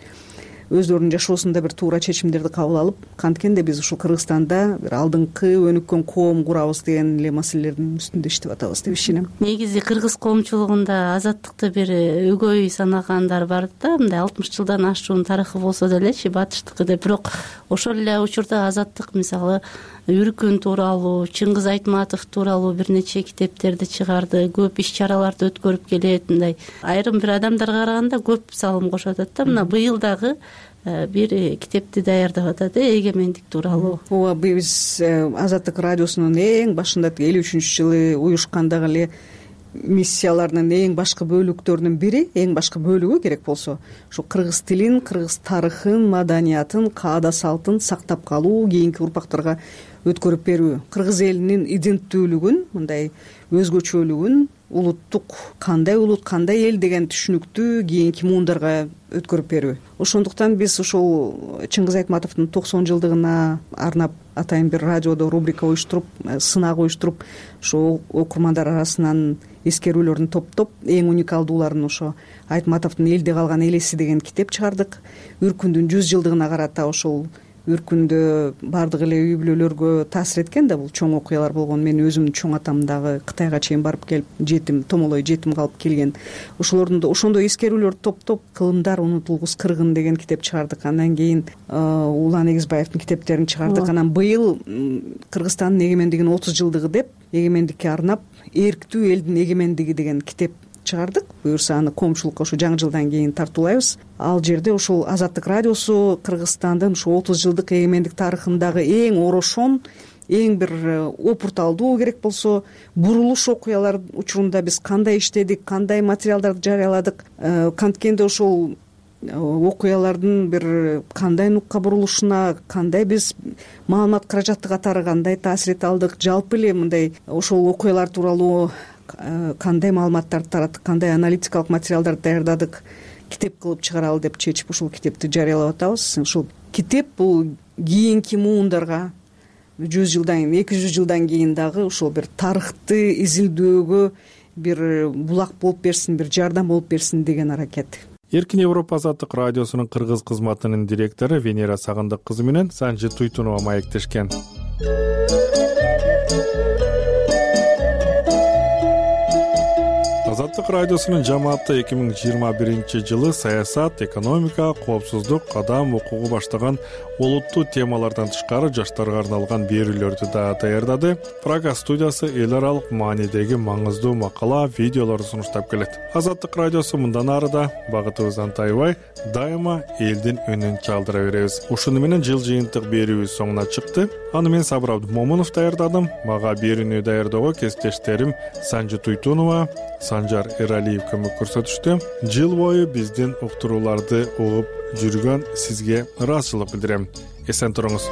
өздөрүнүн жашоосунда бир туура чечимдерди кабыл алып, канткенде биз ушул Кыргызстанда бир алдыңкы өнүккөн коом курабыз деген эле маселелердин үстүндө иштеп атабыз деп ишенем.
Негизи кыргыз коомчулугунда азаттыкты бир өгөй санагандар бар да, мындай 60 жылдан ашуун тарыхы болсо делечи батыштыкы деп. Бирок ошол эле учурда азаттык мисалы Үркүн тууралуу, Чыңгыз Айтматов тууралуу бир нече китептерди чыгарды, көп иш чараларды өткөрүп келет. Мындай айрым бир адамдарга караганда көп салым кошуп атат да. Мына быйыл дагы бир китепти даярдап атат, эгемендик тууралуу.
Ооба, биз Азаттык радиосунун эң башында 53-жылы уюшкандагы эле миссияларынын эң башкы бөлүктөрүнүн бири, эң башкы бөлүгү керек болсо, ушу кыргыз тилин, кыргыз тарыхын, маданиятын, каада салтын сактап калуу, кийинки урпактарга өткөрүп берүү, кыргыз элинин иденттүүлүгүн, мындай өзгөчөлүгүн, улуттук кандай улут, кандай эл деген түшүнүктү кийинки муундарга өткөрүп берүү. Ошондуктан биз ушул Чыңгыз Айтматовдун 90 жылдыгына арнап атайын бир радиодо рубрика уюштуруп, сынак уюштуруп, ошо окурмандар арасынан эскерүүлөрүн топтоп, эң уникалдууларын ошо Айтматовдун элде калган элеси деген китеп чыгардык. Үркүндүн 100 жылдыгына карата ошол Үркүндө баардык эле үй бүлөлөргө таасир эткен да бул чоң окуялар болгон. Мен өзүмдүн чоң атам дагы Кытайга чейин барып келип, жетим, томолой жетим калып келген. Ошолордун да ошондой эскерүүлөрдү топтоп, Кылымдар унутулгус кыргын деген китеп чыгардык. Андан кийин Улан Эгизбаевдин китептерин чыгардык. Анан быйыл Кыргызстандын эгемендигинин 30 жылдыгы деп, эгемендикке арнап Эрктүү элдин эгемендиги деген китеп чыгардык. Буюрса аны коомчулукка ошо жаңы жылдан кийин тартуулайбыз. Ал жерде ушул Азаттык радиосу Кыргызстандын ушу 30 жылдык эгемендик тарыхындагы эң орошон, эң бир опурталдуу керек болсо бурулуш окуялар учурунда биз кандай иштедик, кандай материалдарды жарыяладык, канткенде ошол окуялардын бир кандай нукка бурулушуна, кандай биз маалымат каражаты катары кандай таасир эте алдык, жалпы эле мындай ошол окуялар тууралуу кандай маалыматтарды тараттык, кандай аналитикалык материалдарды даярдадык, китеп кылып чыгаралы деп чечип ушул китепти жарыялап атабыз. Ушул китеп бул кийинки муундарга 100 жылдан, 200 жылдан кийин дагы ушул бир тарыхты изилдөөгө бир булак болуп берсин, бир жардам болуп берсин деген аракет.
Эркин Европа Азаттык радиосунун кыргыз кызматынын директору Венера Сагындык кызы менен Санжы Туйтунова маектешкен. Азаттык радиосунун жамааты 2021 саясат, экономика, коопсуздук, кадам укугу баштаган олуттуу темалардан тышкары жаштарга арналган берүүлөрдү да даярдады. Прага студиясы эл аралык маанидеги маңыздуу макала, видеолорду сунуштап келет. Азаттык радиосу мындан ары да багытыбыздан тайбай, дайыма элдин үнүн чалдыра беребиз. Ушуну менен жыл жыйынтык берүүбүз соңуна чыкты. Аны мен Сабыр Абдумомунов даярдадым. Мага берүүнү даярдоого кесиптештерим Санжы Туйтунова, Санжар Эралиев көмөк көрсөтүштү. Жыл бою биздин уктурууларды угуп жүргөн сизге ыраазычылык билдирем. Эсен туруңуз.